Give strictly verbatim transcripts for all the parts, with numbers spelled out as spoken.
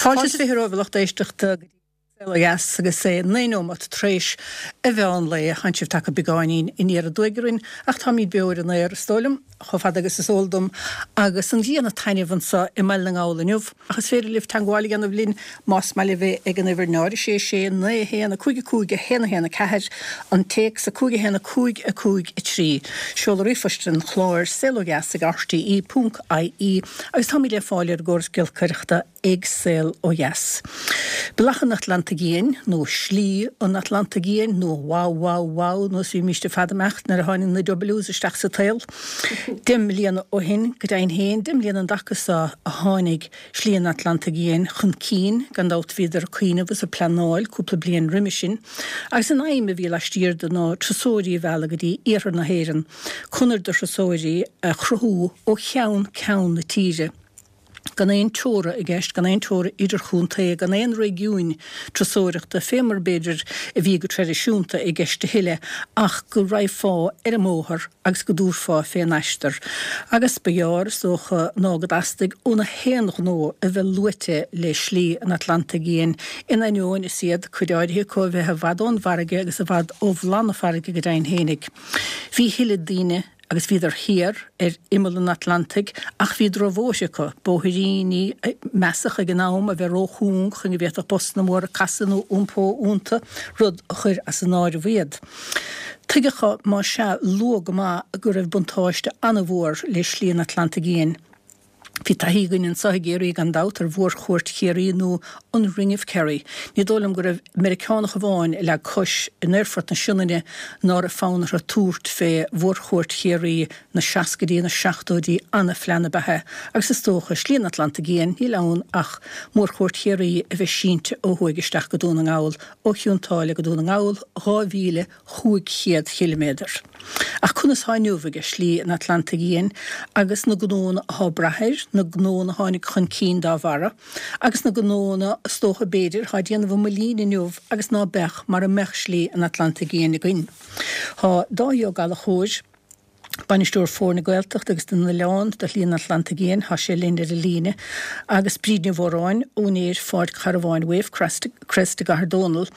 Fáilte is fiche romhaibh a lucht éisteachta go dtí Saol Ó Dheas agus é naoi nóimeat tar éis an mheán lae. Tánn sibh tagtha beagáinín aniar aduaidh orainn ach táimid beo ar an aer, is dóigh liom, chomh fada agus is eol dom, agus an ghrian ag taitneamh anseo i mBaile na nGall inniu. Ach is féidir libh teagmháil a dhéanamh linn más maith libh é ag an uimhir náid a sé sé naoi a haon a cúig a cúig a haon a haon a ceathair, an téacs a cúig a haon a cúig a cúig a trí. Seoladh ríomhphoist an chláir, saol ó dheas ag rte ponc ie agus táimid le fáil ar an gcóras giolcaireachta ag Saol Ó Dheas. Bealach an Atlantaigh Fhiáin, nó Slí an Atlantaigh Fhiáin, nó Wow Wow Wow, nó is bhímíst ar fad ag imeacht nuair a tháinig na Ws isteach sa tsaol. Deich mbliana ó shin, go deimhin féin, deich mbliana an dtaca so a tháinig Slí an Atlantaigh Fhiáin chun cinn, gan dabht bhíodar ag cuimhneamh is ag pleanáil cúpla bliain roimhe sin, agus an aidhm a bhí laistiar de ná turasóirí a mhealladh go dtí iarthar na hÉireann, conair do thurasóirí a chruthú ó cheann ceann na tíre. gan aon teora i gceist, gan aon teora idirchontae, gan aon réigiúin turasóireachta, fé mar b'fhéidir a bhí go traidisiúnta i gceist a thuilleadh, ach go raghfá ar an mbóthar agus go dtabharfá fén aistear. Agus ba ghearr, is dócha, ná go dteastaigh ó na haon ghnó a bheith luaite le Slí an Atlantaigh Fhiáin, in ainneoin is iad cuid áirithe acu a bheith i bhfad ón bhfarraige agus i bhfad ó bhláth na farraige go deimhin fhéinig. Bhí a thuilleadh daoine agus bhíodar thiar ar imeall an Atlantaigh ach bhí drochbhóithre acu, bóithríní a measadh ag an am a bheith róchúng chun go bhféadfadh busanna móra casadh nó iompó iontu, rud a chuir as an áireamh iad. Tuigeadh más ea luath go maith go raibh buntáiste an-mhór le Slí an Atlantaigh Fhiáin. Bhí taithí againn anseo i gCiarraí gan dabht ar Mhórchuairt Chiarraí nó an Ring of Kerry. Ní dóigh liom go raibh Meiriceánach amháin a leag cos in Aerfort na Sionainne ná raibh fonn orthu tabhairt fé Mhórchuairt Chiarraí na seascaidí, na seachtóidí, an-phlean ab ea é agus is dócha, Slí an Atlantaigh Fhiáin, níl ann ach Mórchuairt Chiarraí a bheith sínte ó thuaidh isteach go Dún na nGall, ó Chionn tSáile go Dún na nGall, dhá mhíle chúig chéad chiliméadar. Ach conas thá inniu aige Slí an Atlantaigh Fhiáin agus na gnónna athá ag brath air, na gnónna a tháinig chun cinn dá bharra, agus na gnónna, is dócha b'fhéidir, thá ag déanamh a mbuilín inniu agus ná beadh mara mbeadh Slí an Atlantaigh Fhiáin againn. Thá Dáithí Ó Gallchóir, Bainisteoir Foirne Gaeltachta agus na nOileán do Shlí an Atlantaigh Fhiáin, thá sé linn ar an líne, agus Bríd Ní Mhóráin, úinéir Pháirc Charbháin Wave Crest i gCathair Dónall,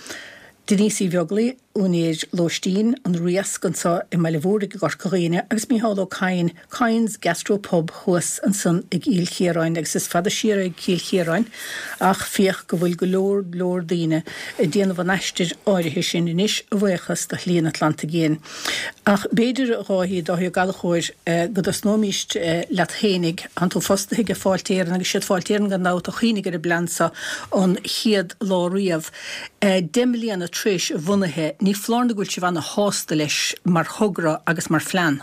Denise Uí Bheaglaoi, úinéir Lóistín an Riasc anseo i mBaile Mhúraigh i gCorca Dhuibhne agus Micheál Ó Cadhain, Cadhain's Gastro Pub thuas ansan i gCill Chiaráin agus is fada siar é Cill Chiaráin ach féach go bhfuil go leor leor daoine ag déanamh an aistir áirithe sin anois a bhuíochas do Shlí an Atlantaigh Fhiáin. Ach b'fhéidir, a Dháithí, Dáithí Ó Gallchóir, go dtosnóimíst leat fhéinig. Thánn tú fostaithe ag Fáilte Éireann agus siad Fáilte Éireann gan dabht a chuimhnigh ar an bplean seo an chéad lá riamh. Deich mbliana tar éis a bhunaithe, ní foláir nó go bhfuil sibh ana-shásta leis mar thogra agus mar phlean.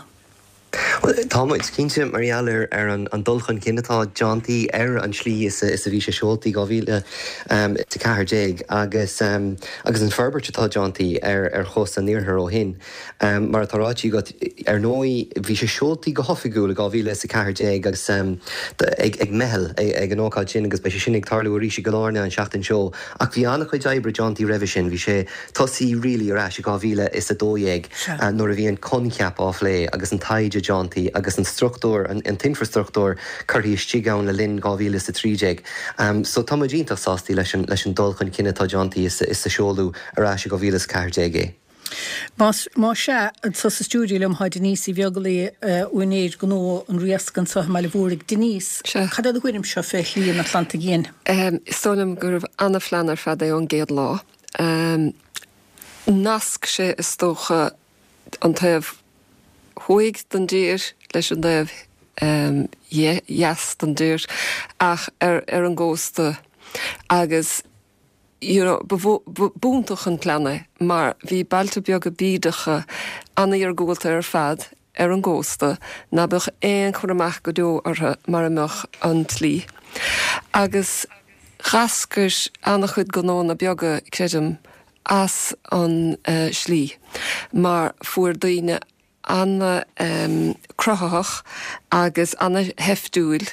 Bhuel, tá muid, cinnte, mar gheall ar ar an dul chun cinn atá déantaí ar an tslí is a bhí sé seoltaí dhá mhíle a ceathair déag agus agus an forbairt atá déantaí ar ar chósta an iarthair ó shin. Mar atá ráite agat, ar ndóigh, bhí sé seoltaí go hoifigiúil i dhá mhíle is a ceathair déag agus ag ag meitheal ag an ócáid sin agus beidh sé sin ag tarlú arís i gCill Airne an tseachtain seo. Ach bhí an-chuid oibre déantaí roimhe sin. Bhí sé tosaí really ar ais i dhá mhíle is a dó dhéag nuair a bhí an coincheap á phlé agus an taighde déantaí agus an struchtúr, an t-infreastruchtúr curtha istigh ann le linn dhá mhíle is a trí déag. So tá muid iontach sástaí leis an leis an dul chun cinn atá déantaí is is a seoladh ar ais i dhá mhíle is a ceathair déag é. Más más ea, anseo sa stiúideo liom tá Denise Uí Bheaglaoi, úinéir gnó an Riasc anseo i mBaile Mhúraigh. Denise, cad é do thuairimse fé Shlí an Atlantaigh Fhiáin? Is dóigh liom gurbh ana-phlean ar fad é ón gcéad lá. Nasc sé is dócha an taobh thuaidh den dtír leis an dtaobh dheas den dtír ach ar ar an gcósta agus you know ba b'iontach an plean é mar bhí bailte beaga bídeacha an-iargúlta ar fad ar an gcósta ná beadh aon chur amach go deo orthu mara mbeadh an tslí. Agus dh'eascair an-chuid gnónna beaga, creidim, as an slí mar fuair daoine an-cruthaitheach agus an-sheiftiúil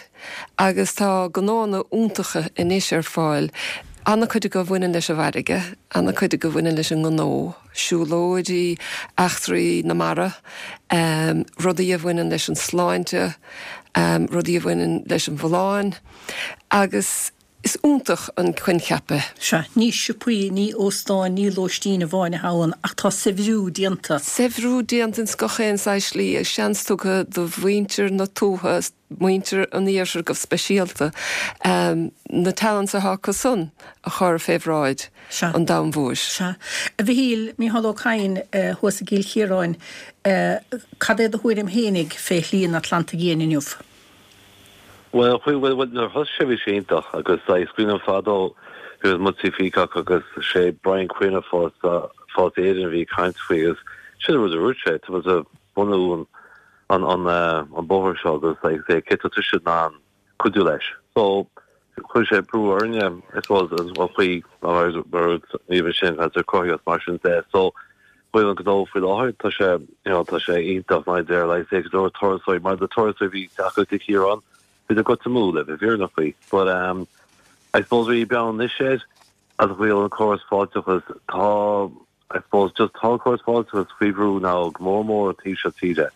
agus tá gnónna iontacha anois ar fáil, an-chuid acu a bhaineann leis an bhfarraige, an-chuid acu a bhaineann leis an ngnó, siúlóidí, eachtraí na mara, rudaí a bhaineann leis an sláinte, rudaí a bhaineann leis an bhfolláin agus. Is iontach an coincheap é. Sea, ní siopaí, ní óstáin, ní lóistín amháin atá ann, ach tá saibhriú déanta. Saibhriú déanta ins gach aon saghas slí, agus seans tugtha do mhuintir na tuaithe, muintir an iarthair go speisialta, na talents atá acu san a chur fé bhráid an domhain mhóir. Sea. A Mhichíl, Micheál Ó Cadhain thuas i gCill Chiaráin, cad é do thuairim fhéinig fé Shlí an Atlantaigh Fhiáin inniu? Bhuel, bhuel, bhuel, nuair a thosaigh sé bhí sé iontach agus is cuimhin liom fadó bhí muid sa Peacock agus sé Brian Quinn ó Fáilte Fáilte Éireann a bhí ag caint faoi agus sin an rud a dúirt sé, tá muid ag bunú an an an an bóthar seo agus like say cé tá tusa in ann cuidiú leis. So chuir sé brú orainne I suppose an chaoi mar mar ní bheith sin as ar cruthaíocht mar sin de. So bhfuil an gnó faoi láthair tá sé you know, tá sé iontach mar deir like say go leor turasóirí mar na turasóirí bhí teacht go Ciarán bhí a goit amú le bheith fírinneach faoi. But um, I suppose bhí bean anois as a bhfuil an córas fáilteachas tá I suppose just tá córas fáilteachas faoi bhrú now go mór mór an taobh seo tíre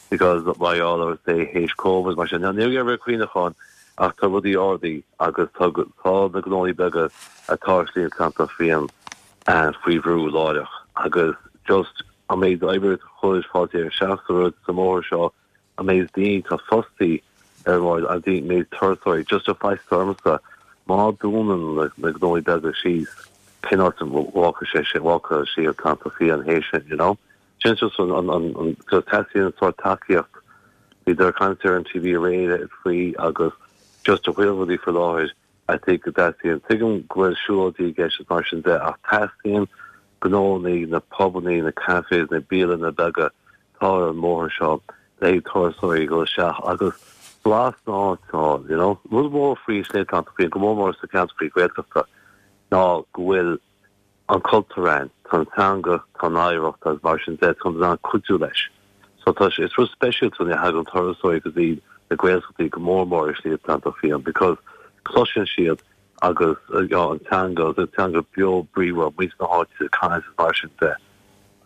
because mar gheall ar say théis COVID mar sin ní raibh cuimhneachán ach tá rudaí ardaithe agus tá tá na gnóthaí beaga atá ar Shlí an Atlantach Fiáin faoi bhrú láithreach agus just an méid oibre a chuir Fáilte Éireann isteach sa rud sa mbóthar seo an méid daoine atá fostaithe ar bhord an méid turasóirí just a faitíos ormsa má dúnann na na gnóthaí beaga síos cén áit a bhfágfaidh sé sin bhfágfaidh sí an Atlantach Fiáin théis sin you know sin just an an an an just teastaíonn sórt tacaíocht bhí ag caint ar an T V aréir faoi agus just a bhfuil rudaí faoi láthair I think go dteastaíonn tuigim go bhfuil siúlóidí i gceist is mar sin de ach teastaíonn gnónnaí na pubannaí na cafés na bialanna beaga atá ar an mbóthar seo le haghaidh turasóirí dul isteach agus blas na háite a fháil you know. Rud mór faoi Shlí an Atlantach Fiáin go mór mór sa cheantar Gaeltachta ná go bhfuil an cultúr ann, tá an teanga, tá an oidhreacht agus mar sin de, tá muid in ann cuidiú leis. So tá sé, is rud speisialta nuair a thagann turasóirí go dtí na Gaeltachtaí go mór mór ar Shlí an Atlantach Fiáin because cloiseann siad agus you know, an teanga, agus an teanga beo bríomhar, muintir na háite ag caint agus mar sin de.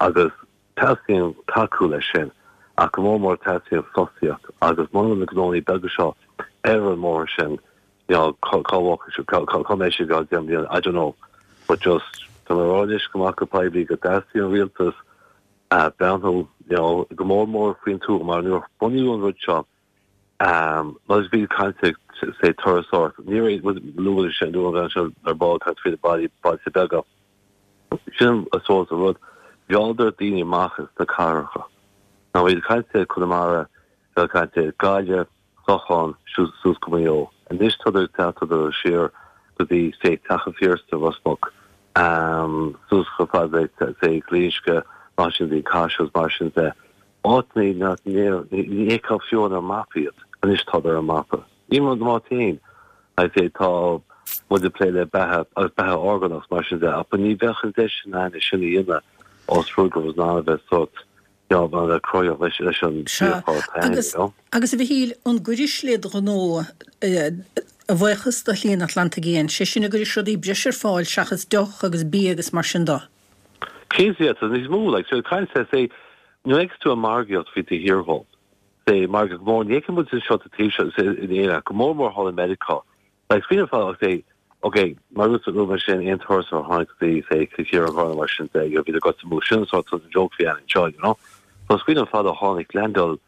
Agus teastaíonn tacú leis sin, ach go mór mór teastaíonn fostaíocht agus muna bhfuil na gnónnaí beaga seo ar an mbóthar sin, you know, cá cá bhfágfaidh siad, cá cá cá mbeidh siad i gceann deich mbliana, I don't know. But just, tá mé ag rá anois go maith go poiblí go dteastaíonn an rialtas a breathnú, you know, go mór mór faoin tuath mar nuair a bunaíodh an rud seo, um, mar bhí caint ag say turasóireacht, ní raibh, luaigh sé, luaigh an bhean seo ar ball caint faoi na bailí, bailte beaga. Sin I suppose an rud, mhealladar daoine amach as na cathracha. Now bhí caint ar Conamara, bhí caint ar Gaillimh, Clochán, suas go Maigh Eo. Anois tá ag teacht siar go dtí say Teach an Phiarsaigh, Ros Muc, um, suas chomh fada le say Glinsce, mar sin de, Caiseal, mar sin de. Áiteanna nach ní fheicfeá fiú ar an mapa iad. Anois tá ar an mapa. Ní mar má féin, I say tá muid ag plé le beatha agus beatha orgánach mar sin de, ach ní bheadh an deis sin ann é sin a dhéanamh os rud go raibh in ann a bheith sórt you know, a bheith cruthaitheach leis leis an Sea, bhfíorchár féin, agus you know. agus a Mhichíl, an gcuirfidh le do ghnó a bhuíochas do Shlí an Atlantaigh Fhiáin, sé sin a gcuirfidh rudaí breise ar fáil seachas deoch agus bia agus mar sin de? Cinnte, yeah, tá níos mó, like, so caint say, nuair a fheiceann tú an margaíocht faoi do thír dhó, say, margadh go mór, ní fheiceann muid anseo sa taobh seo, say, in Éirinn, go mór mór thall i Meiriceá. Like, smaoineamh fad, say, ok, mar rud luaigh mé sin, aon turasóir a tháinig go dtí, say, Cill Chiaráin, Carna, mar sin de, you know, bhí na guts amú, sin an sórt an joke bhí ann anseo, you know. So smaoineamh fad a tháinig leaindeáil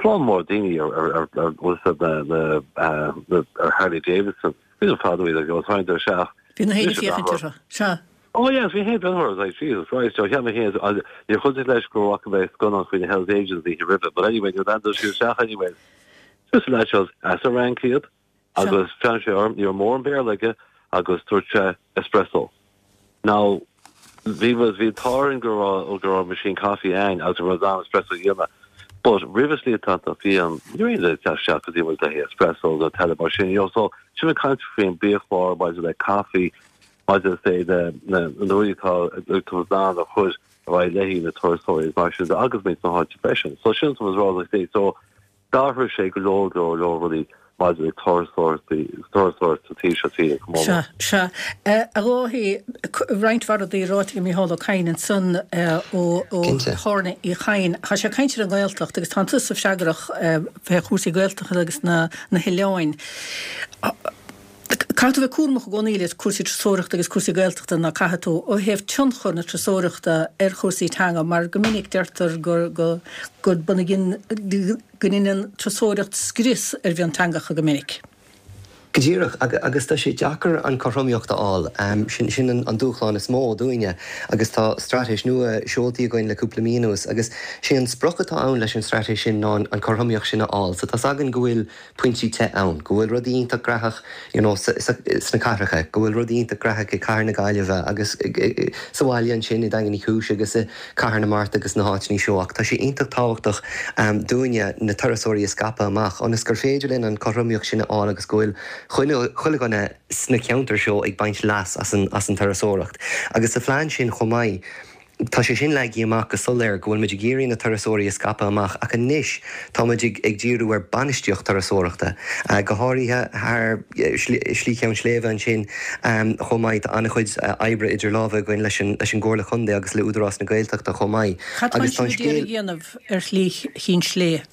slám mór daoine ar, ar, ar, ar, bhfuil a fhios agat, na, na, eh, na, ar Harley Davidson. Smaoineamh fad a bhí, like, you know, tháinig isteach. Bhí na héinne ag féachaint orthu. Sea. Oh yes, bhí héin breathnú orthu, like, Jesus Christ, so cheap mé féin, agus níor chuidigh leis go bhfaca mé scannán faoi na Hells Angels an oíche roimhe, but anyway, níor leaindeáil siad isteach anyway. Just leaid seo as an Fhrainc iad, agus bhreathnaigh sé orm, ní raibh mórán Béarla aige, agus dúirt sé espresso. Now, bhí bhí an t-ádh orainn go raibh go raibh machine coffee ann agus go raibh in ann espresso a dhéanamh, but roimh Slí an Atlantach Fiáin, ní raibh aon duine ag teacht isteach go dtí muid le haghaidh espresso nó tae mar sin, you know, so sin ag caint faoin biachlár maidir le caife, maidir le say na na na rudaí atá atá in ann a chur ar aghaidh le na turasóirí mar sin de agus muintir na háite freisin. So sin atá mé ag rá like say, so d'athraigh sé go leor leor leor rudaí maidir le turasóireachtaí, turasóireacht sa taobh seo tíre go mór Sea, mór. sea. A Dháithí, roinnt mhaith rudaí ráite ag Mícheál Ó Cadhain ansan ó ó Cinnte. Chárna Uí Chadhain. Tá sé ag caint ar an nGaeltacht agus tá tusa freagrach fé chúrsaí Gaeltachta agus na na hoileáin. Caithfidh tú bheith cúramach i gcónaí le cúrsaí turasóireachta agus cúrsaí Gaeltachta ná caithfidh tú ó thaobh tionchar na turasóireachta ar chúrsaí teanga mar go minic deirtear gur go go go ndéanann turasóireacht scrios ar mhionteangacha go minic. Go díreach, agus tá sé deacair an cothromaíocht a fháil. Sin sin an dúshlán is mó dúinne agus tá straitéis nua seoltaí againn le cúpla mí anuas agus sé an sprioc atá ann leis an straitéis sin ná an cothromaíocht sin a fháil. So tá againn go bhfuil pointí te ann, go bhfuil rudaí iontach graitheach you know, sna cathracha, go bhfuil rudaí iontach graitheach i cathair na Gaillimhe agus sa bhaile ansin i Daingean Uí Chúis agus i cathair na Mart agus na háiteanna seo ach tá sé iontach tábhachtach um, dúinne na turasóirí a scaipeadh amach ionas gur féidir linn an cothromaíocht sin a fháil agus go bhfuil chuile dhuine sna ceantair seo ag baint leas as an, as an turasóireacht. Agus sa phlean sin chomh maith, Tá sé sin leagtha amach go soiléir go bhfuil muid ag iarraidh na turasóirí a scaipeadh amach ach anois tá muid ag ag díriú ar bainistíocht turasóireachta, go háirithe thar Slí Cheann Sléibhe ansin chomh maith. Tá an-chuid oibre idir lámha againn leis an leis an gComhairle Chontae agus le Údarás na Gaeltachta chomh maith. Cad tá Agus tá an sibh ag iarraidh scéal a dhéanamh ar Shlí Chinn Sléibhe?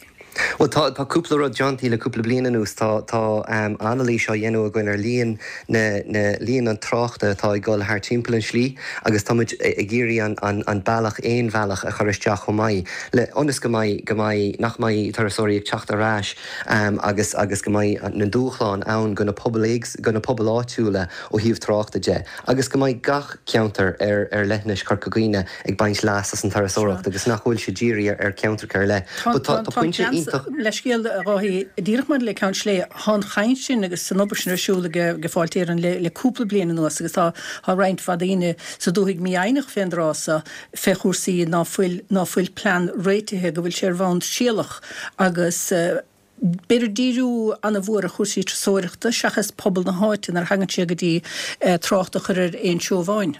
Bhuel tá tá cúpla rud déanta le cúpla bliain anuas. Tá tá um, anailís á dhéanamh againn ar líon na, na líon an tráchta atá ag dul thar timpeall an slí agus tá muid ag iarraidh an, an, an bealach aon bhealach a chur isteach chomh maith le ionas go mbeidh go mbeidh nach mbeidh turasóirí ag teacht ar ais um, agus agus go mbeidh na dúshláin ann go na pobail go na pobail áitiúla ó thaobh tráchta de agus go mbeidh gach ceantar ar ar leithinis Chorca Dhuibhne ag baint leas as an turasóireacht agus nach bhfuil sé dírithe ar, ar ceantar ar leith. But tá, tá pointe iontach Leithscéal a Dháithí díreach maidir le Ceann Sléibhe tá an chaint sin agus an obair sin ar siúl ag ag Fáilte Éireann le, le cúpla bliain anuas agus tá tá roinnt mhaith daoine sa dúthaigh mífhoighneach fén dtráth so fé chúrsaí ná fuil ná fuil plean réitithe go bhfuil sé ar bhonn trialach agus uh, B'fhéidir díriú an-mhór ar chúrsaí turasóireachta seachas pobal na háite nuair a thagann sé go dtí uh, trácht a chur ar aon treo amháin.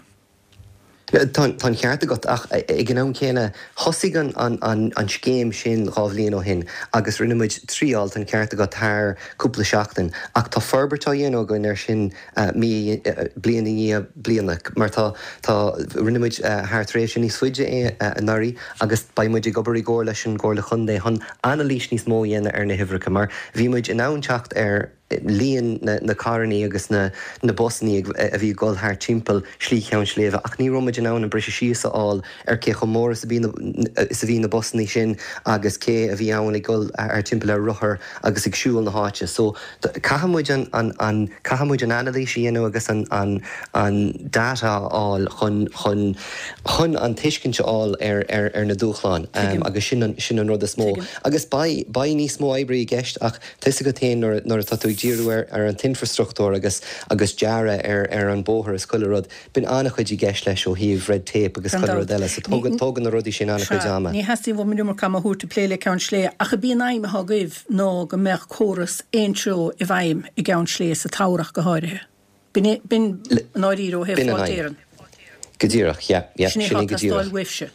Tá an ceart agat ach ag an am céanna thosaigh an, an, an, an scéim sin dhá bhliain ó shin agus rinne muid triail an ceart agat thar cúpla seachtain ach tá forbairt á dhéanamh againn ar sin uh, mí uh, bliain i ndiaidh bliana mar tá tá rinne muid uh, thar tréimhse níos faide é uh, anuraidh agus beidh muid ag obair i gcomhar leis an gComhairle Chontae chun anailís níos mó a dhéanamh ar na huimhreacha mar bhí muid in ann teacht ar líon na, na carranna agus na, na busanna a bhí ag dul thar timpeall Slí Cheann Sléibhe ach ní raibh muid in ann an briseadh síos a fháil ar cé chomh mór is a bhí is a bhí na busanna sin agus cé a bhí ann ag dul ar timpeall ar rothar agus ag siúl na háite. So caithfidh muid an, an, an caithfidh muid an anailís a dhéanamh agus an, an, an data a fháil chun, chun, chun an tuiscint a fháil ar, ar, ar na dúshláin um, agus sin an, sin an rud is mó. Agus beidh níos mó oibre i gceist ach tá go féin nuair atá tú ag díriú ar, ar an t-infrastruchtúr agus agus dearadh ar, ar an bóthar is chuile rud. Bíonn an-chuid i gceist leis ó thaobh red tape agus chuile rud eile, so tógann na rudaí sin an-chuid ama. Ní theastaíonn uaim an iomarca ama a thabhairt ag plé le Ceann Sléibhe ach ab í an aidhm atá agaibh ná go mbeadh córas aon treo i bhfeidhm i gCeann Sléibhe sa tsamhradh go háirithe. B'in b'in an áirír ó thaobh Fáilte Éireann. Go díreach, yeah, yeah, sin sin é é go teastáil díreach. uaibhse.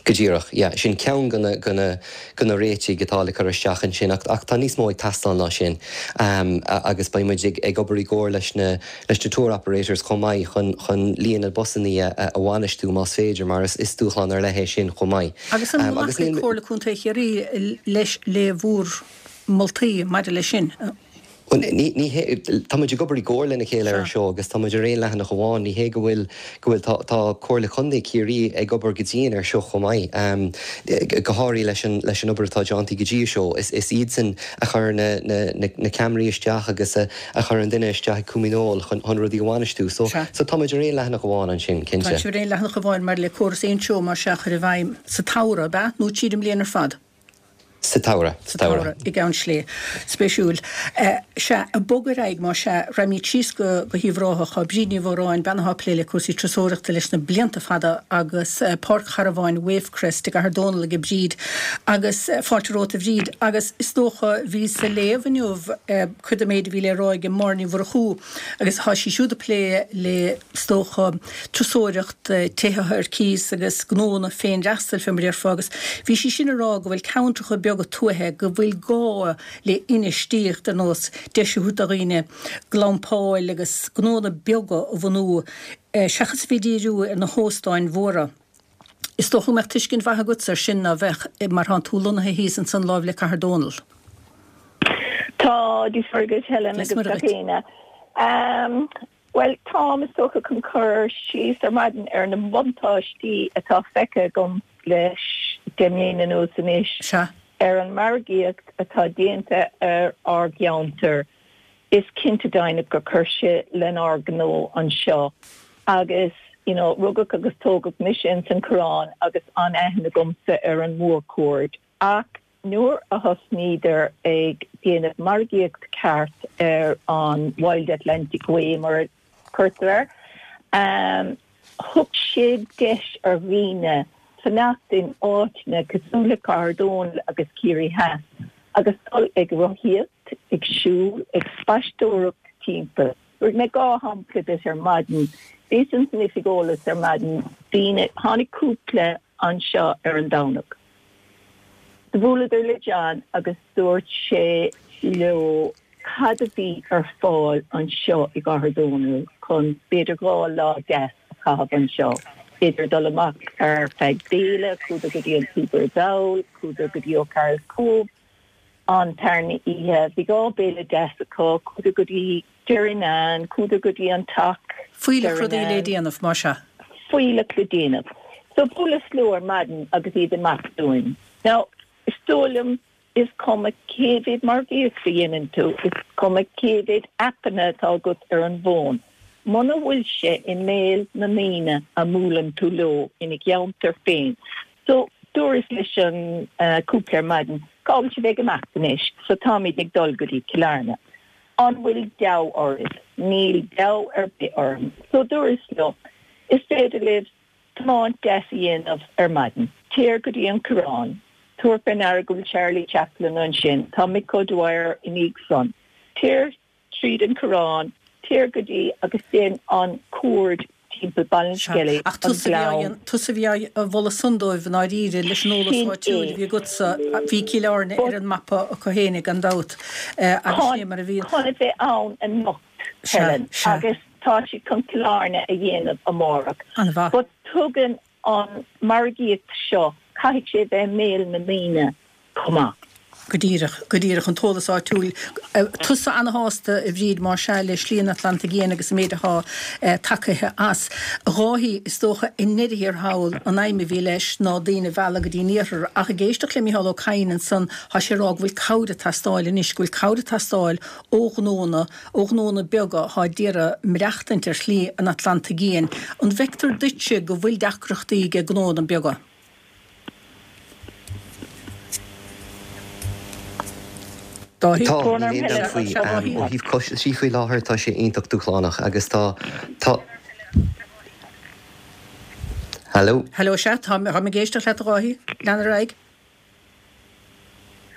Go díreach, yeah, sin ceann de na, de na, de na réitigh atá le cur isteach ansin ach, ach tá níos mó ag teastáil ná sin um, agus beidh muid ag, ag obair i gcomhar leis na, leis na tour operators chomh maith chun, chun líon na busanna a, a bhainistiú más féidir mar is, is dúshlán ar leith é sin chomh maith. Agus an Um, agus nglacfaidh níl- Comhairle Contae Chiarraí leis le bhur moltaí maidir leis sin. Ní ní hé tá muid ag obair i gcomhar lena chéile ar seo agus tá muid ar aon leathanach amháin ní hé go bhfuil go bhfuil tá tá Comhairle Contae Chiarraí ag obair go dian ar seo chomh maith um, go háirithe leis an leis an obair atá déanta go dtí seo is is iadsan a chur na, na, na, na ceamaraí isteach agus a, a chur an duine isteach cúminól chun chun rudaí a bhainistiú so Sea. so tá muid ar aon leathanach amháin ansin Tá cinnte. sibh ar aon leathanach amháin mar le córas aon treo mar seo a chur i bhfeidhm sa tsamhradh ab ea nó tríd an mbliain ar fad. Sa tsamhradh sa tsamhradh i gCeann Sléibhe spéisiúil. Sea ag bogadh ar aghaidh mar sea raghaimid síos go go hUíbh Ráthach Bríd Ní Mhóráin bean atá ag plé le cúrsaí turasóireachta leis na blianta fada agus eh, Páirc Charbháin Wavecrest i gCathair Dónall ag Bríd agus eh, fáilte romhat a Bhríd agus is dócha bhí sa léamh inniu eh, cuid den méid a bhí le rá ag Máire Ní Mhurchú agus tá sí siúd ag plé le is dócha turasóireacht tithe ar cíos agus gnónna féinfhreastail fé mar a déarfá agus bhí sí sin ag rá go bhfuil ceantracha beaga tuaithe go bhfuil gá le infheistíocht ar nós deis a thabhairt do dhaoine glampáil agus gnónna beaga a bhunú eh, seachas bheith ag díriú ar na hóstáin mhóra. Is dócha go mbeadh tuiscint mhaith agat ar sin ná bheadh eh, mar tá tú lonnaithe thíos ansan láimh le Cathair Dónall. Tá Dia duit Helen Is agus mar gach éinne. Um, well, táim is dócha chun cur síos ar maidin ar na buntáistí atá feicthe agam leis deich mbliana anuas anois Sea. ar an margaíocht atá déanta ar ár gceantar. Is cinnte deimhin gur chuir sé lenár ngnó anseo agus you know, rugadh agus tógadh mise in san Coireán agus an-aithne agamsa ar an mórchuaird. Ach nuair a thosnaíodar ag déanamh margaíocht ceart ar an Wild Atlantic Way mar a cuirtear air, um, thug sé deis ar dhaoine fanacht in áiteanna cosúil le Cathair Dónall agus Ciarraí Theas agus dul ag rothaíocht, ag siúl, ag spaisteoireacht timpeall. Tabharfaidh mé dhá shampla duit ar maidin. Bhíos in san oifig eolais ar maidin, daoine, tháinig cúpla anseo ar an Domhnach. Do bhuaileadar le John agus dúirt sé leo cad a bhí ar fáil anseo i gCathair Dónall chun b'fhéidir dhá lá deas a chaitheamh anseo. B'fhéidir dul amach ar feadh béile, chuadar go dtí an Tuber Dowel, chuadar go dtí O'Carroll's Cove an tarna oíche. Bhí dhá béile deas acu, chuadar go dtí Derrynane, chuadar go dtí an Teach Fuílleach rudaí le déanamh, más ea. Fuílleach le déanamh. So bhuaileas leo ar maidin agus iad ag imeacht uainn. Now, is dóigh liom is cuma cé mhéad margaíocht a dhéanann tú, is cuma cé mhéad aipeanna atá agat ar an bhfón, muna bhfuil sé i mbéal na ndaoine a mbuaileann tú leo ina gceantar féin. So, dúras leis an cúpla ar maidin, cá bhfuil sibh ag imeacht anois? So táimid ag dul go dtí Cill Airne. An bhfuil deabhadh oraibh? Níl deabhadh ar bith orm. So dúras leo, is féidir libh tiomáint deas a dhéanamh ar maidin. Téir go dtí an Coireán. Tabhair fé ndeara go bhfuil Charlie Chaplin ansin. Tá Mick O'Dwyer ina dhiaidh san. Téir tríd an Coireán, téir go dtí agus déan an cuaird timpeall Ballinskellig, Ach an tusa a bhí á gleann. dhéan- tusa a bhí á mholadh san dóibh i ndáiríre leis an eolas Sin áitiúil é. a bhí agatsa. Bhí Cill Airne But ar an mapa acu fhéinig gan dabht, agus Chun sin é mar a bhíonn. chun a bheith ann anocht, Sea, Helen, sea. agus tá siad chun Cill Airne a dhéanamh amárach. An-mhaith. But tugann an margaíocht seo, caithfidh sé bheith i mbéal na ndaoine chomh maith. Go díreach, go díreach, an t-eolas áitiúil. Tusa ana-shásta, a Bhríd, más ea, le Slí an Atlantaigh Fhiáin agus an méid atá tagaithe as. A Dháithí, is dócha, i ndeireadh thiar thall, an aidhm a bhí leis ná daoine a mhealladh go dtí an iarthar. Ach ag éisteacht le Mícheál Ó Cadhain ansan, tá sé ag rá go bhfuil cabhair ag teastáil anois, go bhfuil cabhair ag teastáil ó ghnónna, ó ghnónna beaga atá ag iarraidh maireachtaint ar Shlí an Atlantaigh Fhiáin. An bhfeictear duitse go bhfuil deacrachtaí ag gnónna beaga? Dáithí? Tá, níl aon dabht faoi. Ó thaobh costaisí faoi láthair tá sé iontach dúshlánach agus tá, tá. Hello? Hello, sea, táim ag éisteacht leat a Dháithí. Lean ar aghaidh.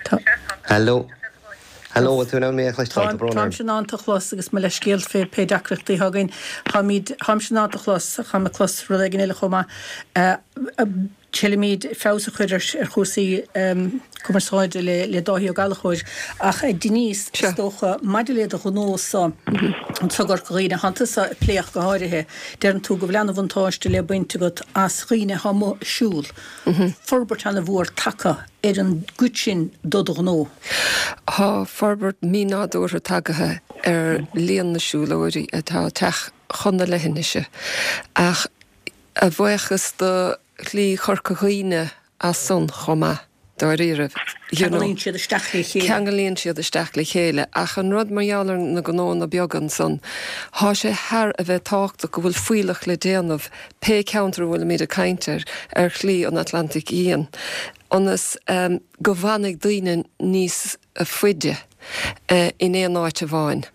Tá. Hello? Hello, bhfuil tú in ann mé a chloisteáil? Tá brón orm. Táimse in ann tú a chlos agus mo leithscéal fé pé deacrachtaí atá againn. Táimid, táimse in ann tú a chlos, táim ag clos rud éigin eile chomh maith. Triailfimid feabhas a chur ar chúrsaí cumarsáide le Dáithí Ó Gallchóir. Ach Denise, is dócha, maidir le do ghnó-sa, anseo i gCorca Dhuibhne, thánn tusa ag plé ach go háirithe, deireann tú go bhfuil ana-bhuntáiste le baint agat as dhaoine atá amuigh ag siúl. Forbairt ana-mhór tagtha ar an gcuid sin do do ghnó. Tá forbairt mínádúrtha tagaithe ar líon na siúlóirí atá ag teacht chun na leithinise. Ach a bhuíochas do Shlí Chorca Dhuibhne as san chomh maith, dáiríribh. You know. Ceanglaíonn siad isteach le chéile. Ceanglaíonn siad isteach le chéile. Ach an rud mar gheall ar na gnónna beaga ansan, thá sé thar a bheith tábhachtach go bhfuil fuílleach le déanamh, pé ceantar a bhfuilimid ag caint air, ar Shlí an Atlantaigh Fhiáin, ionas go bhfanfaidh daoine níos faide in aon áit amháin.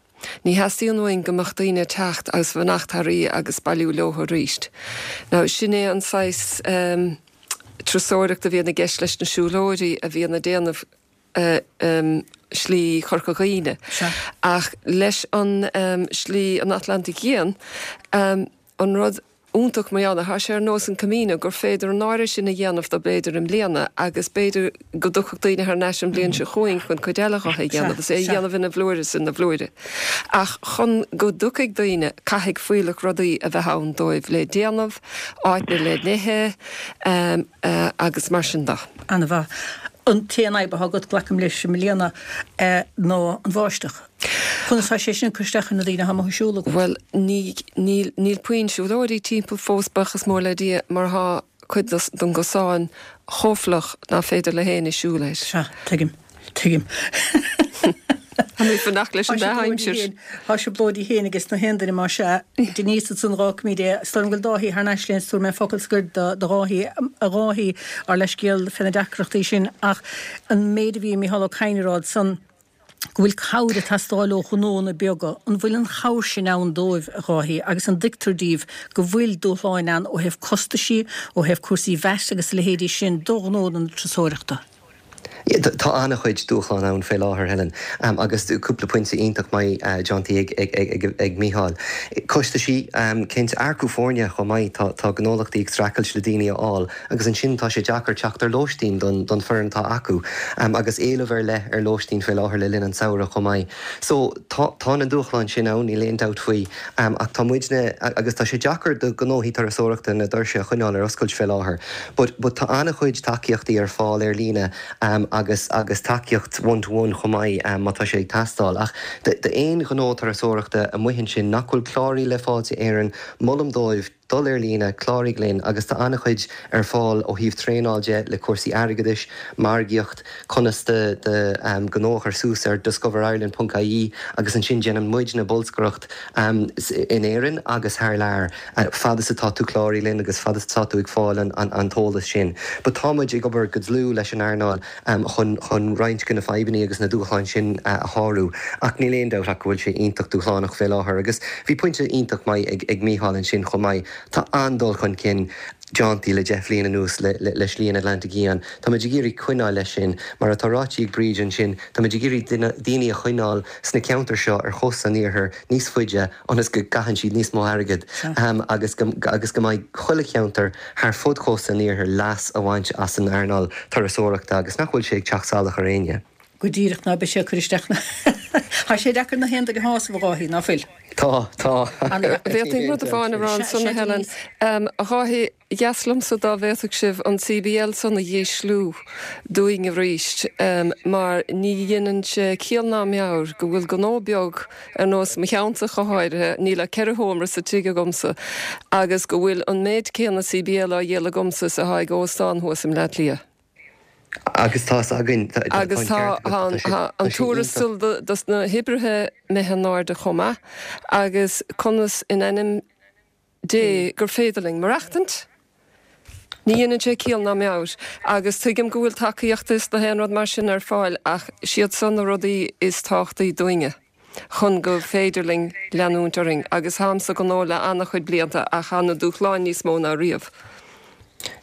Ní theastaíonn uainn go mbeadh daoine ag teacht agus fanacht thar oíche agus bailiú leo arís. Now, sin é an saghas turasóireacht a bhíonn i gceist leis na siúlóirí a bhíonn ag déanamh Slí Chorca Dhuibhne. Ach leis an Slí an Atlantaigh Fhiáin, an rud iontach mar gheall air, thá sé ar nós an Camino gur féidir an oiread sin a dhéanamh de b'fhéidir i mbliana agus b'fhéidir go dtiocfadh daoine thar n-ais an bhliain seo chugainn chun cuid eile dhe a dhéanamh agus é a dhéanamh ina bhlúire is ina bhlúire. Ach chun go dtiocfaidh daoine, caithfidh fuílleach rudaí a bheith ann dóibh le déanamh, áiteanna le n-ithe agus mar sin de. Ana-mhaith. An t-aon fhadhb atá agat, glacaim leis, i mbliana, ná an bháisteach. Conas tá sé sin ag cur isteach ar na daoine atá amuigh ag siúl agat? Bhuel, ní, níl, níl puinn siúlóirí timpeall fós, buíochas mór le Dia, mar thá cuid den gcosán chomh fliuch ná féidir le héinne siúl air. Sea, tuigim. Tuigim. Tá mé ag fanacht leis an dea-aimsir. Tá trioblóidí féin ages na haon duine más ea. Denise ansan dh'fhágfaimid é. Is dóigh liom go bhfuil Dáithí thar n-ais linn is tabharfaidh mé focal scoir do Dháithí, a Dháithí, ár leithscéal fé na deacrachtaí sin ach an méid a bhí Micheál Ó Cadhain a rá ansan go bhfuil cabhair ag teastáil ó ghnónna beaga, an bhfuil an chabhair sin ann dóibh, a Dháithí, agus an dtuigtear díbh go bhfuil dúshláin ann ó thaobh costaisí, ó thaobh cúrsaí VAT agus a leithéidí sin do ghnónna na turasóireachta? Tá an-chuid dúshlán ann fé láthair, Helen, agus cúpla pointe iontach maith déantaí ag Mícheál. Costaisí, cinnte, earcú foirne chomh maith, tá gnólachtaí ag streachailt le daoine a fháil agus ansin tá sé deacair teacht ar lóistín don foireann atá acu agus éileamh ar leith ar lóistín fé láthair le linn an tsamhraidh chomh maith. So, tá na dúshláin sin ann, níl aon dabht faoi, ach tá muidne, agus tá sé deacair do ghnóthaí turasóireachta na doirse a choinneáil ar oscailt fé láthair, but but tá an-chuid tacaíochtaí ar fáil ar líne agus agus tacaíocht one to one chomh maith má tá sé ag teastáil. Ach d'aon ghnó turasóireachta amuigh ansin nach bhfuil cláraithe le Fáilte Éireann, molaim dóibh dul ar líne, cláraigh linn agus tá an-chuid ar fáil ó thaobh traenáil de le cúrsaí airgeadais, margaíocht, conas do do ghnó a chur suas ar discoverireland ponc ie agus ansin déanann muidne bolscaireacht in Éirinn agus thar lear fad is atá tú cláraithe linn agus fad is atá tú ag fáil an an t-eolas sin. But tá muid ag obair go dlúth leis an earnáil chun chun roinnt de na fadhbanna agus na dúshláin sin a shárú ach níl aon dabht ach go bhfuil sé iontach dúshlánach fé láthair agus bhí pointe iontach maith ag ag Mícheál ansin chomh maith. Tá an-dul chun cinn déanta le deich bhliain anuas le le Slí an Atlantaigh Fhiáin. Táimid ag iarraidh coinneáil leis sin. Mar atá ráite ag Bríd ansin, táimid ag iarraidh daoine a choinneáil sna ceantair seo ar chósta an iarthair níos faide ionas go gcaitheann siad níos mó airgid agus go agus go mbeidh chuile cheantar thar fud chósta an iarthair leas a bhaint as an earnáil turasóireachta agus nach bhfuil sé ag teacht salach ar éinne. Go díreach, ná beidh sé ag cur isteach na. Tá sé deacair na haon duine a shásamh, a Dháithí, ná fuil? Tá, tá. Bhféadfainn rud amháin a rá ansan, a Helen. A Dháithí, dheas liomsa dá bhféadfadh sibh an CBL san a dhísliú dúinn arís, mar ní dhéanann sé ciall ná meabhair go bhfuil gnó beag ar nós mo cheannsa go háirithe, níl ach ceithre sheomra sa tigh agamsa, agus go bhfuil an méid céanna CBL á dhíol agamsa is atá ag óstán thuas i mBleá Cliath. Agus tá 's againn, tá an Agus tá ceart agat, tá sé, an tá sé tuarastal iontach. dos na hoibrithe imithe in airde chomh maith agus conas in ainm Dé gur féidir linn maireachtaint? Ní dhéanann sé ciall ná meabhair. Agus tuigim go bhfuil tacaíocht is na haon rud mar sin ar fáil ach siad san na rudaí is tábhachtaí dúinne chun go féidir linn leanúint orainn. Agus táim sa ghnó le an-chuid blianta ach tá na dúshláin níos mó ná riamh.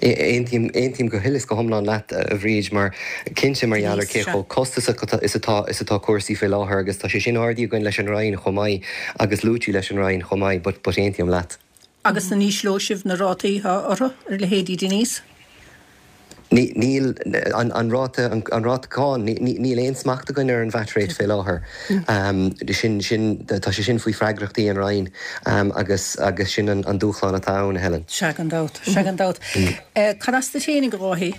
Aontaím, aontaím go huile is go hiomlán leat, a Bhríd, mar cinnte mar gheall ar cé chomh costasach is atá, is atá cúrsaí faoi láthair agus tá sé sin ardaithe againn leis an Roinn chomh maith agus luaite leis an Roinn chomh maith but, but aontaím leat. Agus an ísleoidh sibh na rátaí atá orthu, ar leithéidí Denise? Ní, níl, an, an ráta, an, an ráta cáin, ní, ní, níl aon smacht againn ar an VAT rate fé láthair. Sin, sin, tá sé sin faoi freagrachtaí an Roinn agus, agus sin an, an dúshlán atá ann, a Helen. Sea, gan dabht, sea, gan dabht. Cad as duit fhéinig, a Dháithí?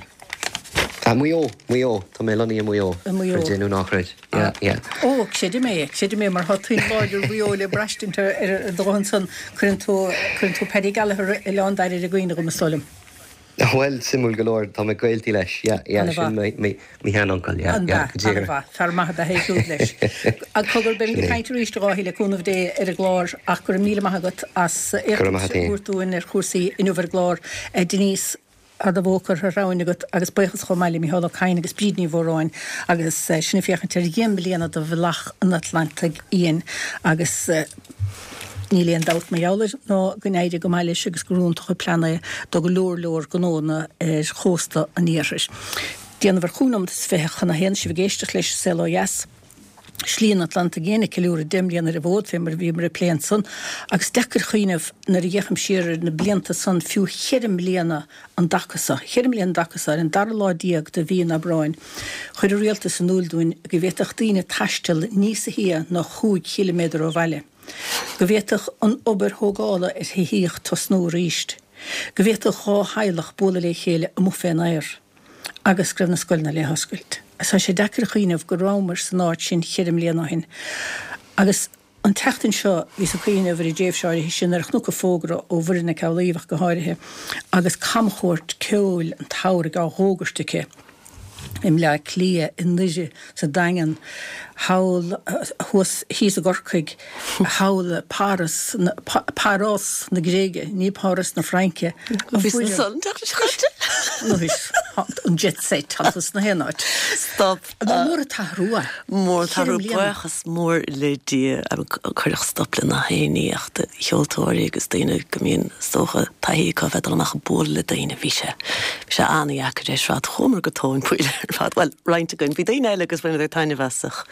Maigh Eo, Maigh Eo, tá mé lonnaithe i Maigh Eo, I Maigh Eo. creid é nó ná creid. Yeah, yeah. Ó, creidim é, creidim é, mar tá tuin láidir Mhaigh Eo le braistint ar, ar do ghuth ansan. Cuireann tú, cuireann tú Paddy Gallagher Oileán Daire i gcuimhne dhom, is dóigh liom. Bhuel, suimiúil go leor, tá mé gaolta leis, yeah, yeah, sin An-mhaith. mo sheanuncail, yeah, yeah, An-mhaith, go díreach. an-mhaith. Fear maith ab ea é siúd leis. Cogar, beimid Sin ag é. caint arís, a Dháithí, le cúnamh Dé, ar an gclár ach go raibh míle maith agat as Go raibh maith éachtaint agat a féin. thabhairt dúinn ar chúrsaí inniu ar an gclár. Denise, tá do bhó curtha thar abhainn agat agus buíochas chomh maith le Mícheál Ó Cadhain agus Bríd Ní Mhóráin agus sinn ag féachaint ar dheich mbliana de Bhealach an Atlantaigh Fhiáin agus Níl aon dabht mar gheall air ná go n-éirigh go maith leis agus gur iontach an plean é do go leor leor gnónna ar chósta an iarthair. Déanamh ar chúig nóimeat is fiche chun a haon, sibh ag éisteacht leis an Saol Ó Dheas. Slí an Atlantaigh Fhiáin ag ceiliúradh deich mbliana ar an bhfód, fé mar a bhíomar ag plé ansan, agus deacair cuimhneamh nuair a fhéachaim siar ar na blianta san, fiú cheithre mbliana an dtaca so, cheithre mbliana an dtaca so, ar an dara lá déag de mhí an Aibreáin, chuir an rialtas in iúl dúinn go bhféadfadh daoine taisteal níosa shia ná chúig chiliméadar ó bhaile. Go bhféadfadh an obair thógála ar thithíocht tosnú arís. Go bhféadfadh dhá theaghlach bualadh le chéile amuigh fén aer. agus go raibh na scoileanna le hoscailt. Tá sé deacair a chuimhneamh go rabhamar san áit sin cheithre mbliana ó shin. Agus an tseachtain seo bhíos ag cuimhneamh ar an dtréimhse áirithe sin nuair a chonac fógra ó Mhuireann Nic Amhlaoibh ach go háirithe agus camchuairt ceoil an tsamhraidh á dh'fhógairt aici i mBleá Cliath, i nDoire, sa Daingean, thall thuas, thíos i gCorcaigh, thall i Páras, Paros na Gréige, ní Páras na Fraince. Bhí san teacht An jet set tá tú sna haon áit. Stop. Ba mór an t-athrú é. Mór an t-athrú buíochas mór le Dia cuireadh stop le na haon ní ach do cheoltóirí agus daoine go mbíonn is dócha taithí acu a bheith ag dul amach ag bualadh le daoine bhí sé bhí sé an-dheacair ar fad. Chuamar go tóin poill ar fad. Bhuel, roinnt againn. Bhí daoine eile agus bhaineadar taitneamh as ach.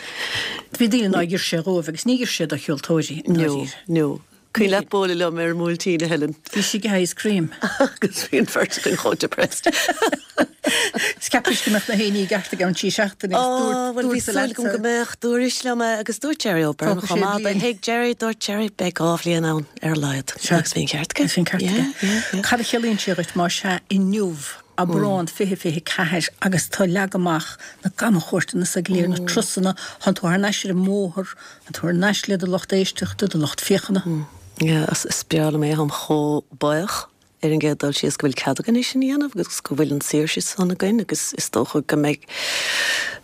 Bhí daoine nár oir sé dhóibh agus ní oir sé do cheoltóirí. No, no. Cuimhin leat bualadh liom ar an mBuailtín, a Helen? Bhí sí ag ice cream. Agus bhí an bheirt againn chomh depressed. Is cheapais go mbeadh na haon ní i gceart i gceann trí seachtaine agus dúirt Ó, bhuel, bhí súil agam go mbeadh. Dúrais liom é agus dúirt Jerry O'Byrne Tógfaidh chomh sé maith. bliain. Thuig Jerry, dúirt Jerry, beidh dhá bhliain ann ar a laghad. Sea. Agus bhí an ceart aige. Bhí an ceart Yeah, aige. yeah, yeah. Cad a chiallaíonn sé dhuit más ea inniu, Aibreán fiche fiche ceathair, agus tá leagtha amach na camchuairteanna sa go léir, na turasanna, tánn tú thar n-ais ar an mbóthar, tánn tú thar n-ais le do lucht éisteachta, do lucht féachana. Yeah, is is breá liom é, táim chomh buíoch ar an gcéad dul síos go bhfuil cead againn é sin a dhéanamh agus go bhfuil an saoirse san againn agus is dócha go mbeidh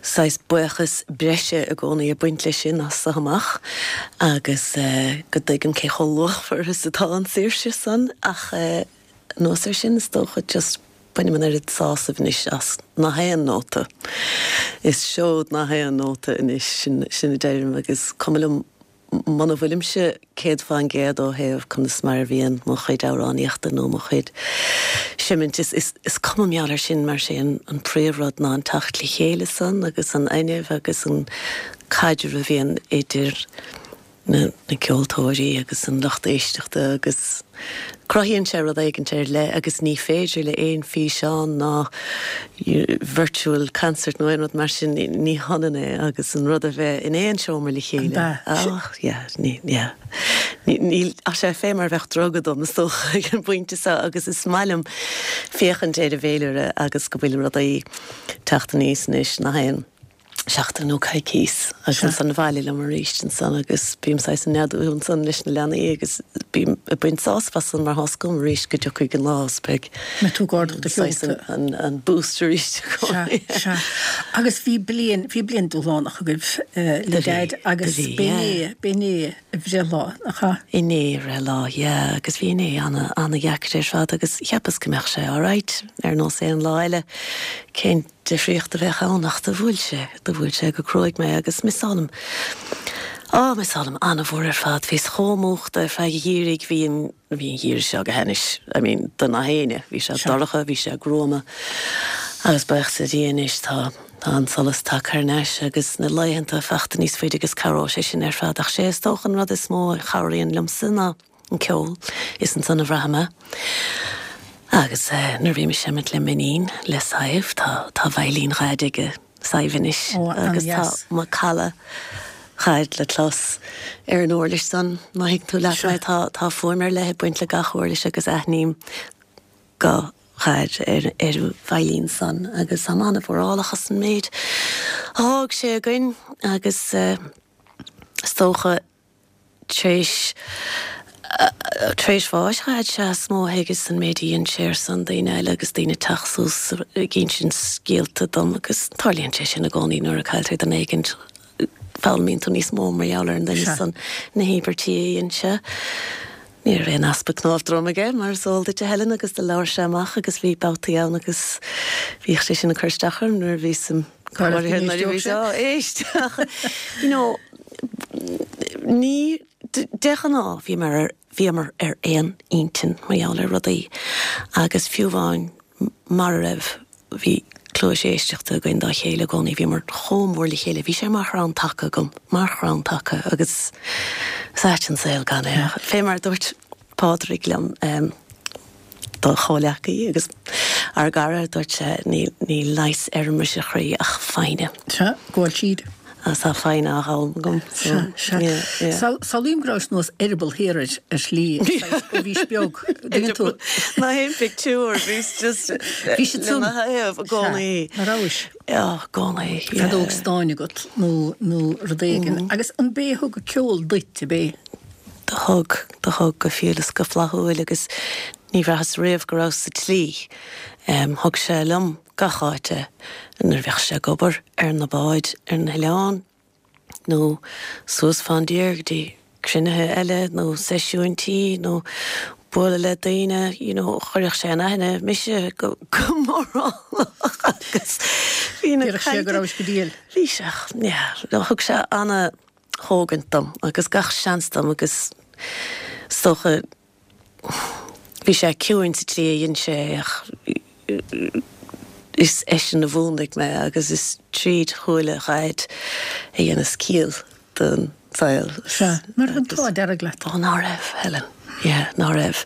saghas buíochas breise i gcónaí ag baint leis sin as so amach agus eh, go dtuigim cé chomh luachmhar is atá an saoirse san ach eh, anuas air sin is dócha just bainim an oiread sásaimh anois as nach aon nóta. Is seod nach aon nóta anois sin sin a deirim agus cuma liom muna bhfuilimse céad faoin gcéad ó thaobh conas mar a bhíonn mo chuid amhránaíochta nó mo chuid seimint is, is, is cuma mar gheall air sin mar sé an, an príomhrud ná an teacht le chéile san agus an fhuinneamh agus an caidreamh a bhíonn idir na, na ceoltóirí agus an lucht éisteachta agus cruthaíonn sé rud éigin ar leith agus ní féidir le aon físeán ná virtual concert nó aon rud mar sin ní hionann é agus an rud a bheith in aon seomra le chéile. Oh, yeah, ní, yeah. Ní ach sé fé mar bheith druga dom is dócha ag an bpointe seo agus is maith liom féachaint ar an bhféilire agus go bhfuil rudaí teacht aníos anois nach aon seachtain nó coicís agus an bhaile liom arís ansan agus bím saghas ag neadú ansan leis na leanaí agus bím ag baint sásamh as san mar tá a fhios agam arís go dtiocfaidh an lá is beidh Mbeidh tú ag ardú do saghas sheolta. an, an boost arís Sea, sea. Agus bhí bliain, bhí bliain dúshlánach agaibh eh, le Do bhí, Daid agus do bhí, b'inné, yeah. b'inné a bhreithlá, nach ea? Inné a bhreithlá, yeah, agus bhí inné ana, ana dheacair ar fad agus cheapas go mbeadh sé alright ar nós aon lá eile. Cén difríocht a bheadh ann ach do bhuail sé, do bhuail sé go cruaidh mé agus missálaim. Á, missálaim an-mhór ar fad, bhíos chomh múchta ar feadh an gheimhridh, bhí an, bhí an geimhreadh seo go hainnis, I mean, do na héinne, bhí sé dorcha, bhí sé gruama. Agus buíochas le Dia anois tá tá an solas tagtha thar n-ais agus na laethanta fachta níos faide agus cabhróidh sé sin ar fad, ach sé is dócha an rud is mó a chabhraíonn liomsa ná an ceol, is ansan a bhraithim é. Agus eh, nuair a bhím ag seimint le m'iníon, le Sadhbh, tá tá veidhlín Dhaid aige Sadhbh anois Ó, agus tá an-dheas. macalla Dhaid le clos ar an uirlis san, má thuigeann tú leat mé, tá tá fuaim ar leith ag baint le gach uirlis agus aithním guth Dhaid ar ar an veidhlín san agus táim an-mhórálach as an méid a d'fhág sé againn agus eh, is dócha tar éis tar éis bháis Dhaid sea is mó a thuigeas an méid a dhein sé ar son daoine eile agus daoine teacht suas ag insint scéalta dom agus tarlaíonn sé sin i gcónaí nuair a cailltear duine éigin foghlaimíonn tú níos mó mar gheall ar an duine Sea. san na híobairtí a dhein sé. Ní raibh aon easpa cnámh droma aige mar is eol duit a Helen agus do labhair sé amach agus bhí babhtaí ann agus bhíodh sé sin ag cur isteach orm nuair a bhíos im Cá raibh nuair a bhí sé? sé éist you know ní de ghnáth bhíomar ar bhíomar ar aon intinn mar gheall ar rudaí agus fiú amháin mar a raibh bhí cluas éisteachta againn dá chéile i gcónaí bhíomar chomh mór le chéile bhí sé mar chrann taca agam mar chrann taca agus is ait an saol gan é. Fé mar dúirt Pádraig liom um, do chomhleacaí agus ár gcara dúirt sé ní ní leigheas ar an mbriseadh chroí ach foighne. Sea, gabháil tríd. Agus tá foighne á dh'fhoghlaim agam. Sea, sea. Samhlaím go rabhais nós eireaball thiar air ar shlí, saghas, ó bhís beag. Dtuigeann tú? Ná haon pictiúr, bhíos just Bhí siad le mo thaobh i gcónaí. Sea, ná rabhais? Yeah, i gcónaí, yeah. Feadóg stáin agat nó, nó rud éigin. Agus an b'é a thug an ceol duit, ab é? Do thug, do thug go fial is go flaithiúil agus ní bhraitheas riamh go rabhas sa tslí. Thug sé liom gach áit é nuair a bheadh sé ag obair ar na báid ar na hoileáin nó suas fán dtír go dtí cruinnithe eile nó seisiúin tí nó bualadh le daoine, you know, chuirfeadh sé in aithne mise go go mórálach agus bhí na Déarfadh sé go rabhais go diail. Bhí sé, yeah, thug sé ana thógaint dom agus gach seans dom agus is dócha bhí sé ciúin sa tslí a dhein sé é ach is eisean a mhúnlaigh mé agus is tríd shúile Dhaid a dheineas ciall don saol. Sea, ná raibh an t-ádh dearg leat? Ó, ná raibh, Helen. Yeah, ná raibh.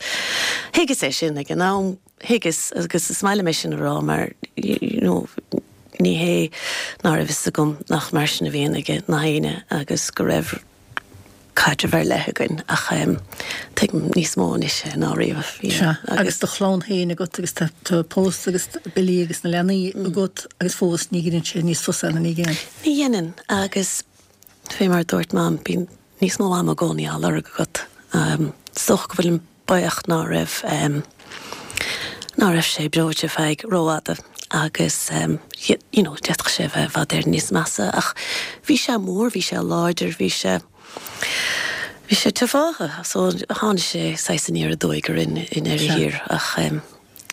Thuigeas é sin ag an am, thuigeas agus is maith liom é sin a rá mar you know ní hé ná raibh fhios agam nach mar sin a bhíonn ag na héinne agus go raibh caidreamh ar leith againn ach tuigim níos mó anois é ná riamh. Sea, agus do chlann féin agat agus tá tú pósta agus Billy agus na leanaí agat agus fós ní dheineann sé níos fusa ná ní dhéanann. Ní dhéanann agus fé mar a dúirt Mam, bíonn níos mó ama i gcónaí á lorg agat. Is dócha go bhfuilim buíoch ná raibh ná raibh sé breoite feadh rófhada agus you know d'fhéadfadh sé a bheith i bhfad Éireann níos measa ach bhí sé mór, bhí sé láidir, bhí sé bhí sé tiofáithe so tháinig sé saghas aniar aduaidh orainn i ndeireadh thiar ach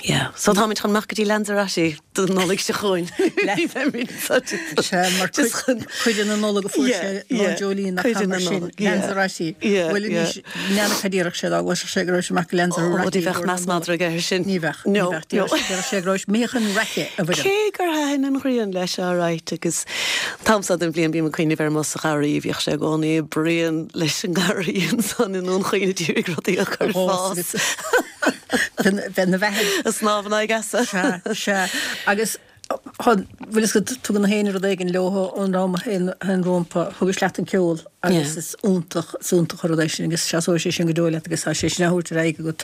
yeah. So táimid chun amach go dtí Lanzarote don Nollaig seo chugainn. Sea, mar cuid de na Nollag a fuair sé lá Jolene nach mar sin, Lanzarote. Bhuel anois, n'fheadar cad a déarfadh sé dá gcloisfeadh sé go raibh sé amach go Lanzarote. Ó, ní bheadh meas madra aige air sin. Ní bheadh, ní bheadh. Déarfadh sé go raibh sé imithe chun raice a Mhuireann. Cé gur thaitin an ghrian leis alright agus an t-am seo den bhliain bím ag cuimhneamh ar mo sa gharraí, bhíodh sé i gcónaí ag bruíon leis an ngarraí ansan i nDún Chaoin ag iarraidh rudaí a chur ag fás. Bheith na bheatha. Ag snámh in aghaidh easa. Sea, sea. Agus bhfuil fhios agat, tugann na héinne rud éigin leo ón am a théann rompu. Thugais leat an ceol agus is iontach, is iontach an rud é sin agus seasóidh sé sin go deo leat agus tá sé sin á thabhairt ar aghaidh agat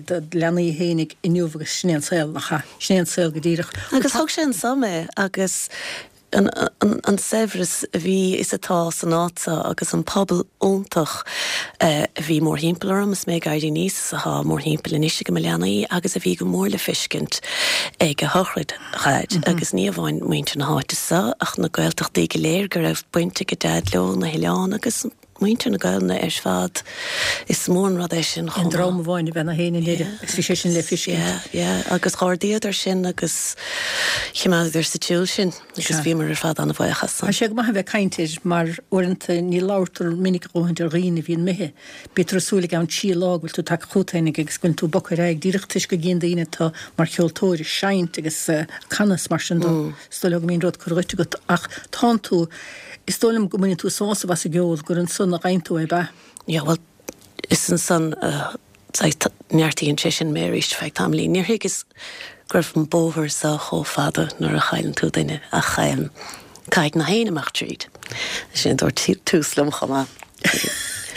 do leanaí fhéinig inniu agus sin é an saol, nach ea? Sin é an saol go díreach. Agus thug sé anso mé agus an saibhreas a bhí is atá san áit seo agus an pobal iontach a bhí mórthimpeall orm is mé ag éirí aníos is atá mórthimpeall anois ag mo leanaí agus a bhí go mór le feiscint ag a shochraid Dhaid agus ní amháin muintir na háite seo ach na Gaeltachtaí go léir go raibh baint ag a Deaid leo, na hoileáin agus muintir na Gaelainne ar fad. Is mór an rud é sin chomh maith. Aon dream amháin a bheith ina fhéin i nDoire agus bhí sé sin le feiscint. Yeah, yeah, agus dh'ardaíodar sin agus choimeádadar sa tsiúl sin agus bhíomar ar fad an-bhuíoch as san. Tá sé go maith a bheith ag caint air mar uaireanta ní labhartar minic a dhóthaint ar dhaoine a bhíonn imithe. Bítear ag súil i gceann trí lá go bhfuil tú tagtha chugat féinig agus go bhfuil tú bogtha ar aghaidh díreach toisc go gcíonn daoine tú mar cheoltóir ag seinnt agus ag canadh is mar sin de. Is dóigh leo go mbíonn rud curtha dhuit agat ach tánn tú Is dóigh liom go mbaineann tú sásamh as an gceol, gur ansan a gheibheann tú é, ab ea? Yeah, bhuel, is ansan a saghas neartaíonn sé sin mé arís feadh tamaillín. Níor thuigeas go raibh an bóthar seo chomh fada nuair a chailleann tú duine ach caithfidh na héinne amach tríd. Sin a dúirt Tús liom chomh maith.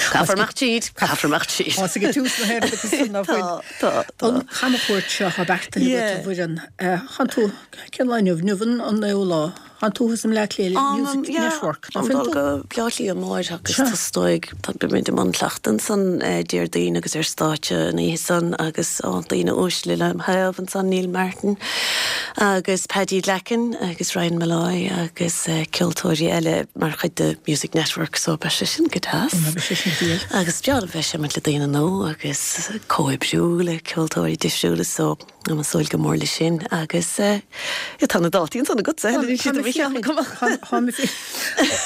Caithfear amach tríd, caithfear amach tríd. Tá ag Tús na héireann agus san ná fuil. Tá, tá, tá. An chamchuairt seo atá beartaithe agat a Mhuireann, tánn tú, cén lá inniu? Inniu an naoú lá. Tánn tú thuas i mBleá Cliath le Music Network, ná fuil tú? Go Bleá Cliath amáireach agus tá is dóigh beimid i mbun cleachtaidh ansan Déardaoin agus ar stáitse an oíche san agus daoine uaisle lem thaobh ansan, Neil Martin agus Paddy Glackin agus Ryan Molloy agus ceoltóirí eile mar chuid de Music Network so beidh sé sin go deas. Beidh sé sin diail. Agus breá liom bheith ag seimint le daoine nua agus comhoibriú le ceoltóirí difriúla so Táim ag súil go mór leis sin agus tá na dátaí ansan agatsa, Helen, níl siad i mo cheann agam.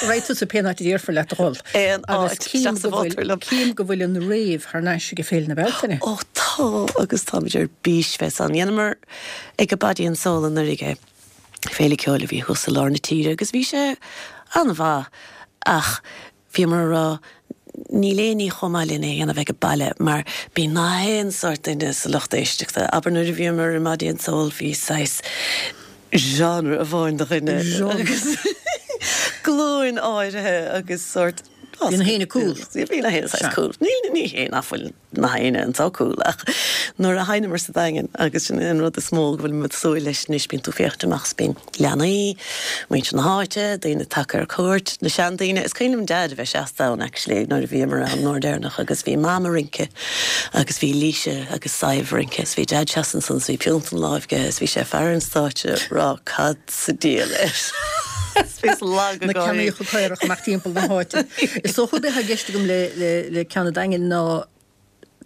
Raghaidh tusa pén áit a déarfar leat a dhul. Aon áit, isteach sa mhótar liom. Cím go bhfuil an rave thar n-ais ag Féile na Bealtaine. Ó tá, agus táimid ar bís bheith ann. Dheineamar ag an Body and Soul anuraidh é, féile ceoil a bhí thuas i lár na tíre agus bhí sé an-mhaith ach Bhíomar a rá, níl aon ní chomh maith lena a dhéanamh ag baile mar bíonn na haon sórt duine sa lucht éisteachta. Abair nuair a bhíomar i mBody and Soul bhí saghas genre amháin de dhuine agus glúin áirithe agus sórt Bhí na héinne cool. Bhí na héinne saghas cool. Ní ní hé nach bhfuil na héinne anseo cool ach nuair a sheinneamar sa Daingean agus sin an rud is mó go bhfuil muid súil leis anois bíonn tú féachaint amach is bíonn leanaí, muintir na háite, daoine tagtha ar cuairt, na seandaoine. Is cuimhin liom Dad a bheith seasta ann actually nuair a bhíomar ann an uair deireanach agus bhí Mam ag rince agus bhí Laoise agus Sadhbh ag rince is bhí Dad seasta ansan is bhí piúnt ina láimh aige is bhí sé ag faire an stáitse ag rá cad sa diabhal é Bhíos lag Na ceannaíocha caorach amach timpeall na háite. Is dócha gurb é atá i gceist agam le le le ceann an Daingin ná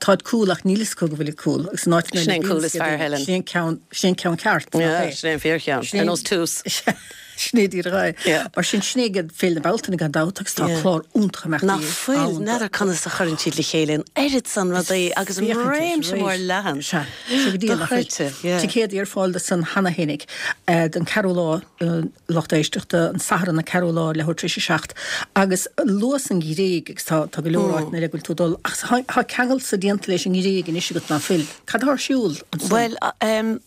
táid cool ach níl fhios acu go bhfuilid cool agus an áit Sin é an cool is fearr, Helen. Sin é an ceann sin é an ceann ceart, nach Yeah, é? sin é an fíorcheann. Sin Ar nós Tús. Sin é díreach é. Yeah. Mar sin sin é ag Féile na Bealtaine gan dabht agus tá Yeah. clár iontach imeachtaí Nach fuil, ann. n'fheadar conas a chuireann siad le chéile an oiread san rudaí agus an Féachaint réimse air, mór leathan. Sea, sé go díreach nach bhfuil. Dochreidte, yeah. Ticéadaí ar fáil do san cheana fhéinig don ceathrú lá, lucht éisteachta, an Satharn an ceathrú lá, leathuair tar éis a seacht, agus luas an Ghréig agus tá tá go leor áiteanna eile go bhfuil tú ag dul ach tá tá ceangal sa déanta leis an nGréig anois agat ná fuil. Cad atá ar siúl ansan? Bhuel, em,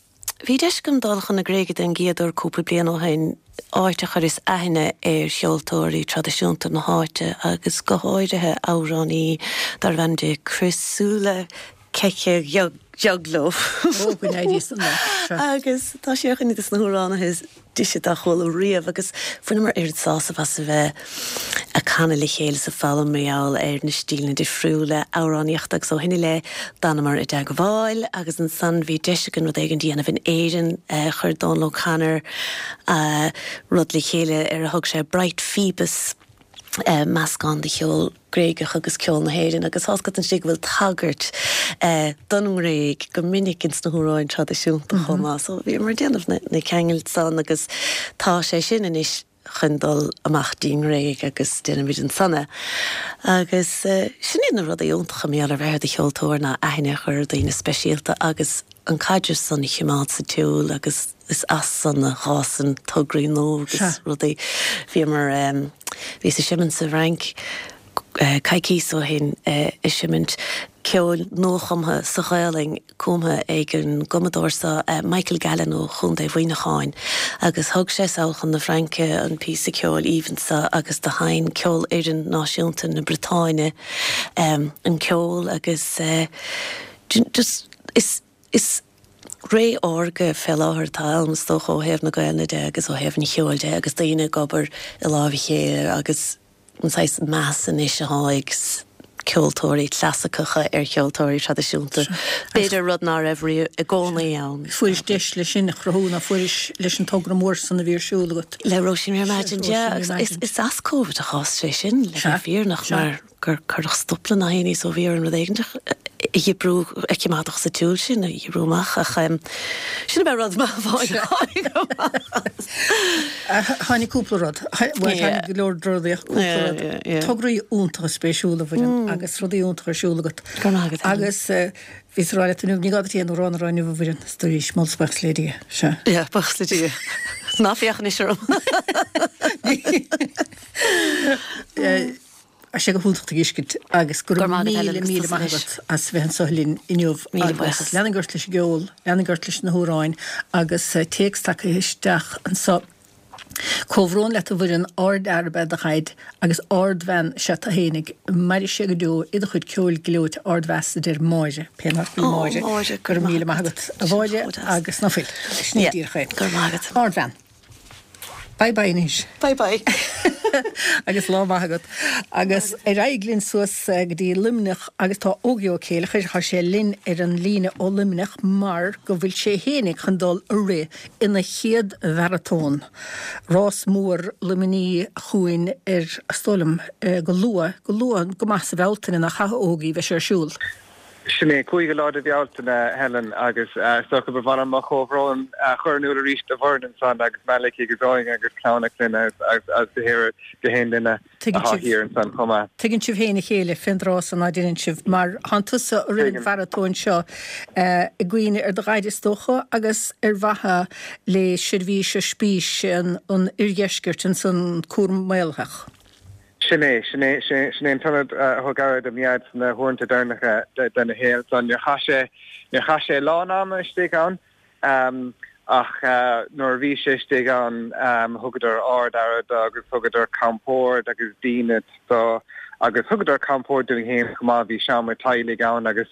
bhí deis agam dul chun na Gréige den gcéad uair cúpla bliain ó shin, áit a chuireas aithne ar cheoltóirí traidisiúnta na háite agus go háirithe amhránaí darbh ainm di Chrysoula Kechagioglou. Ó, go n-éirí san leat, sea. Agus tá sí ar dhuine de na hamhránaithe is deise dár chuala riamh agus bhaineamar oiread sásamh as a bheith ag canadh le chéile is ag foghlaim mar gheall ar na stíleanna difriúla amhránaíochta agus ó shin i leith d'fhanamar i dteagmháil agus ansan bhí deis againn rud éigin a dhéanamh in Éirinn. Chuir Dónal O'Connor rud le chéile ar a thug sé Bright Phoebus, meascán de cheol Gréigeach agus ceol na hÉireann agus tá's agat ansin go bhfuil tagairt don nGréig go minic ins na hamhráin traidisiúnta chomh maith. So bhíomar ag déanamh na ceangail san agus tá sé sin anois chun dul amach dtí'n nGréig agus déanfaimid ansan é. Agus sin iad na rudaí iontacha mar gheall ar bheith i do cheoltóir ná aithne a chur ar daoine speisialta agus an caidreamh san a choimeád sa tsiúl agus is as san a fhásann tograí nua agus rudaí. Bhíomar, bhíos ag seimint sa bhFrainc coicíos ó shin ag seimint ceoil nuachumtha sa Ghaelainn cumtha ag an gcumadóir seo Michael Gallen ó Chontae Mhuineacháin agus thug sé sall chun na Fraince an píosa ceoil aoibhinn seo agus do sheinn Ceolfhoireann Náisiúnta na Briotáine an ceol agus just is Is ré órga fé láthair atá ann, is dócha, ó thaobh na Gaelainne de agus ó thaobh an cheoil de agus daoine ag obair i láimh a chéile agus an saghas meas anois atá ag ceoltóirí clasaiceacha ar cheoltóirí traidisiúnta, b'fhéidir, rud ná raibh riamh i gcónaí ann. Fuairis deis leis sin a chruthú, ná fuairis, leis an togra mór san a bhí ar siúl agat? Le Róisín Reimagined, yeah, agus is as Covid a chás sé sin, le bheith fírinneach, mar gur cuireadh stop le na héinní so bhí orainn rud éigin a dhíbriú, a choimeádfadh sa tsiúl sin, a dhíbriú amach ach sin ab ea rud maith amháin a tháinig amach as. Tháinig cúpla rud, bhuel tháinig go leor rudaí ach cúpla rud. Tograí iontacha spéisiúla a Mhuireann agus rudaí iontacha ar siúl agat. Go raibh maith agat Helen. Agus bhíos ag rá leat inniu, ní gá duit aon amhrán a rá inniu a Mhuireann, is dóigh, moladh is buíochas le Dia. Sea. Yeah, buíochas le Dia. Ná féach anois orm. Tá sé go hiontach tú a fheiscint agus go raibh míle míle maith agat as bheith anseo linn inniu agus leanaigí ort leis an gceol, leanaigí ort leis na hamhráin agus téacs tagtha isteach anseo. Comhbhrón leat a Mhuireann, ardfhear ab ea do dhaid agus ardbhean is ea tú fhéinig, mairfidh sé go deo i do chuid ceoil gleoite ardmheas a deir Máire, pé nach í Máire. Go raibh míle maith agat a Mháire agus ná fuil. Sin é díreach é. Go raibh maith agat. Ardbhean. Bye bye anois. Bye bye. Agus lá maith agat. Agus ar aghaidh linn suas go dtí Luimneach agus tá Ógie Ó Céileachair, tá sé linn ar an líne ó Luimneach mar go bhfuil sé fhéinig chun dul a rith ina chéad mharatón, rás mór Luimnigh chugainn ar, is dóigh liom, go luath, go luath go maith sa Bhealtaine nach ea a Ógie, bheidh sé ar siúl. Sin é, cúigiú lá de Bhealtaine, Helen, agus is dócha ba mhaith liom mo chomhbhrón a chur in iúl arís do Mhuireann ansan agus Malachy agus Eoin agus clann a clainne agus go haon duine atá thiar ansan chomh maith. Tuigeann sibh féin a chéile fén dtráth san ná deineann sibh, mar thánn tusa ag rith an mharatón seo i gcuimhne ar do dhaid is dócha agus ar mhaithe le seirbhís oispís an oirdheiscirt ansan cúram maolaitheach. Sin é, sin é, sin é an t-ionad a thug aire do mo dhaid sna huaireanta deireanacha dena shaol. So níor chaith sé, níor chaith sé a lán ama istigh ann, Ach nuair a bhí sé istigh ann thugadar ard-aire do agus thugadar compord agus dínit do agus thugadar compord dúinn féin chomh maith, bhí seomra teaghlaigh ann agus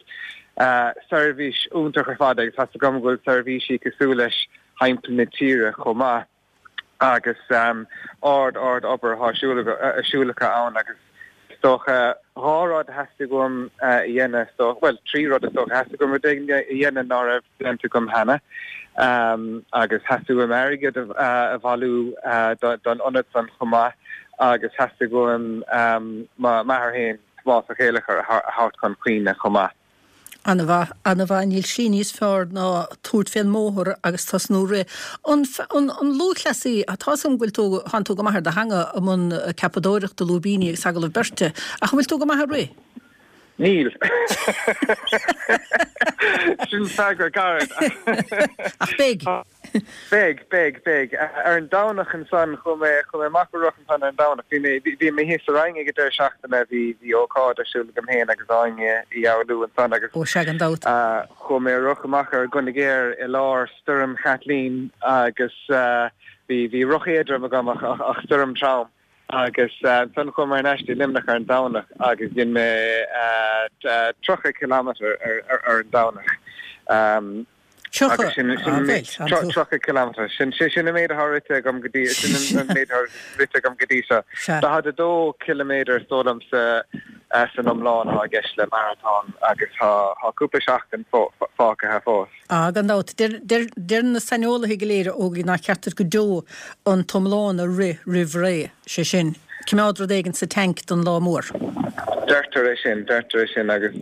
seirbhís iontach ar fad agus tá's agam go bhfuil seirbhísí cosúil leis thimpeall na tíre chomh maith agus ard ard obair atá ar siúl acu ann agus is dócha dhá rud a theastaigh uaim a dhéanamh is dócha, bhuel trí rud is dócha, theastaigh uaim rud éigin a dhéanamh ná raibh déanta agam cheana agus theastaigh uaim airgead a bhailiú don ionad san chomh maith agus theastaigh uaim m'athair féin, Tomás Ó Céileachair, a thabhairt chun cuimhne chomh maith. Ana-mhaith, ana-mhaith. Níl slí níos fearr ná tabhairt fén mbóthar agus tosnú rith. An, an, an lúthchleasaí, tá's agam go bhfuil tú, thánn tú go maith ar do theanga i mbun ceapadóireachta, lúibíní agus agallamh beirte, ach an bhfuil tú go maith ag rith? Níl. Sin freagra gairid. Ach beidh. Beidh, beidh, beidh. Ar an Domhnach ansan, chuaigh mé, chuaigh mé amach ag rith ansan ar an Domhnach. Bhí mé, bhí mé thíos sa Rinn ag an deireadh seachtaine, bhí, bhí ócáid ar siúl agam féin agus Áine Uí Fhoghlú ansan agus Ó sea, gan dabht. chuaigh mé ag rith amach ar Dhún na Géar i lár stoirm Chaitlín agus bhí, bhí roth éadrom agam ach, ach, ach stoirm trom. Agus ansan chuaigh mé ar ais dtí Luimneach ar an Domhnach agus dhein mé tríocha kilometre ar an Domhnach. Tríocha? Tríocha kilometre. Sin sin an méid atá rite agam go dtí sin an méid atá rite agam go dtí seo. Daichead a dó ciliméadar is dóigh liom sa san iomlán atá i gceist le maratón agus tá cúpla seachtain fágtha fós. Ah, gan dabht. Deir deir na saineolaithe go léir, a Ógie, nár cheart duit go deo an t-iomlán a rith roimh ré, sé sin, cimeád rud éigin sa tank don lá mór. Deirtear é sin, deirtear é sin agus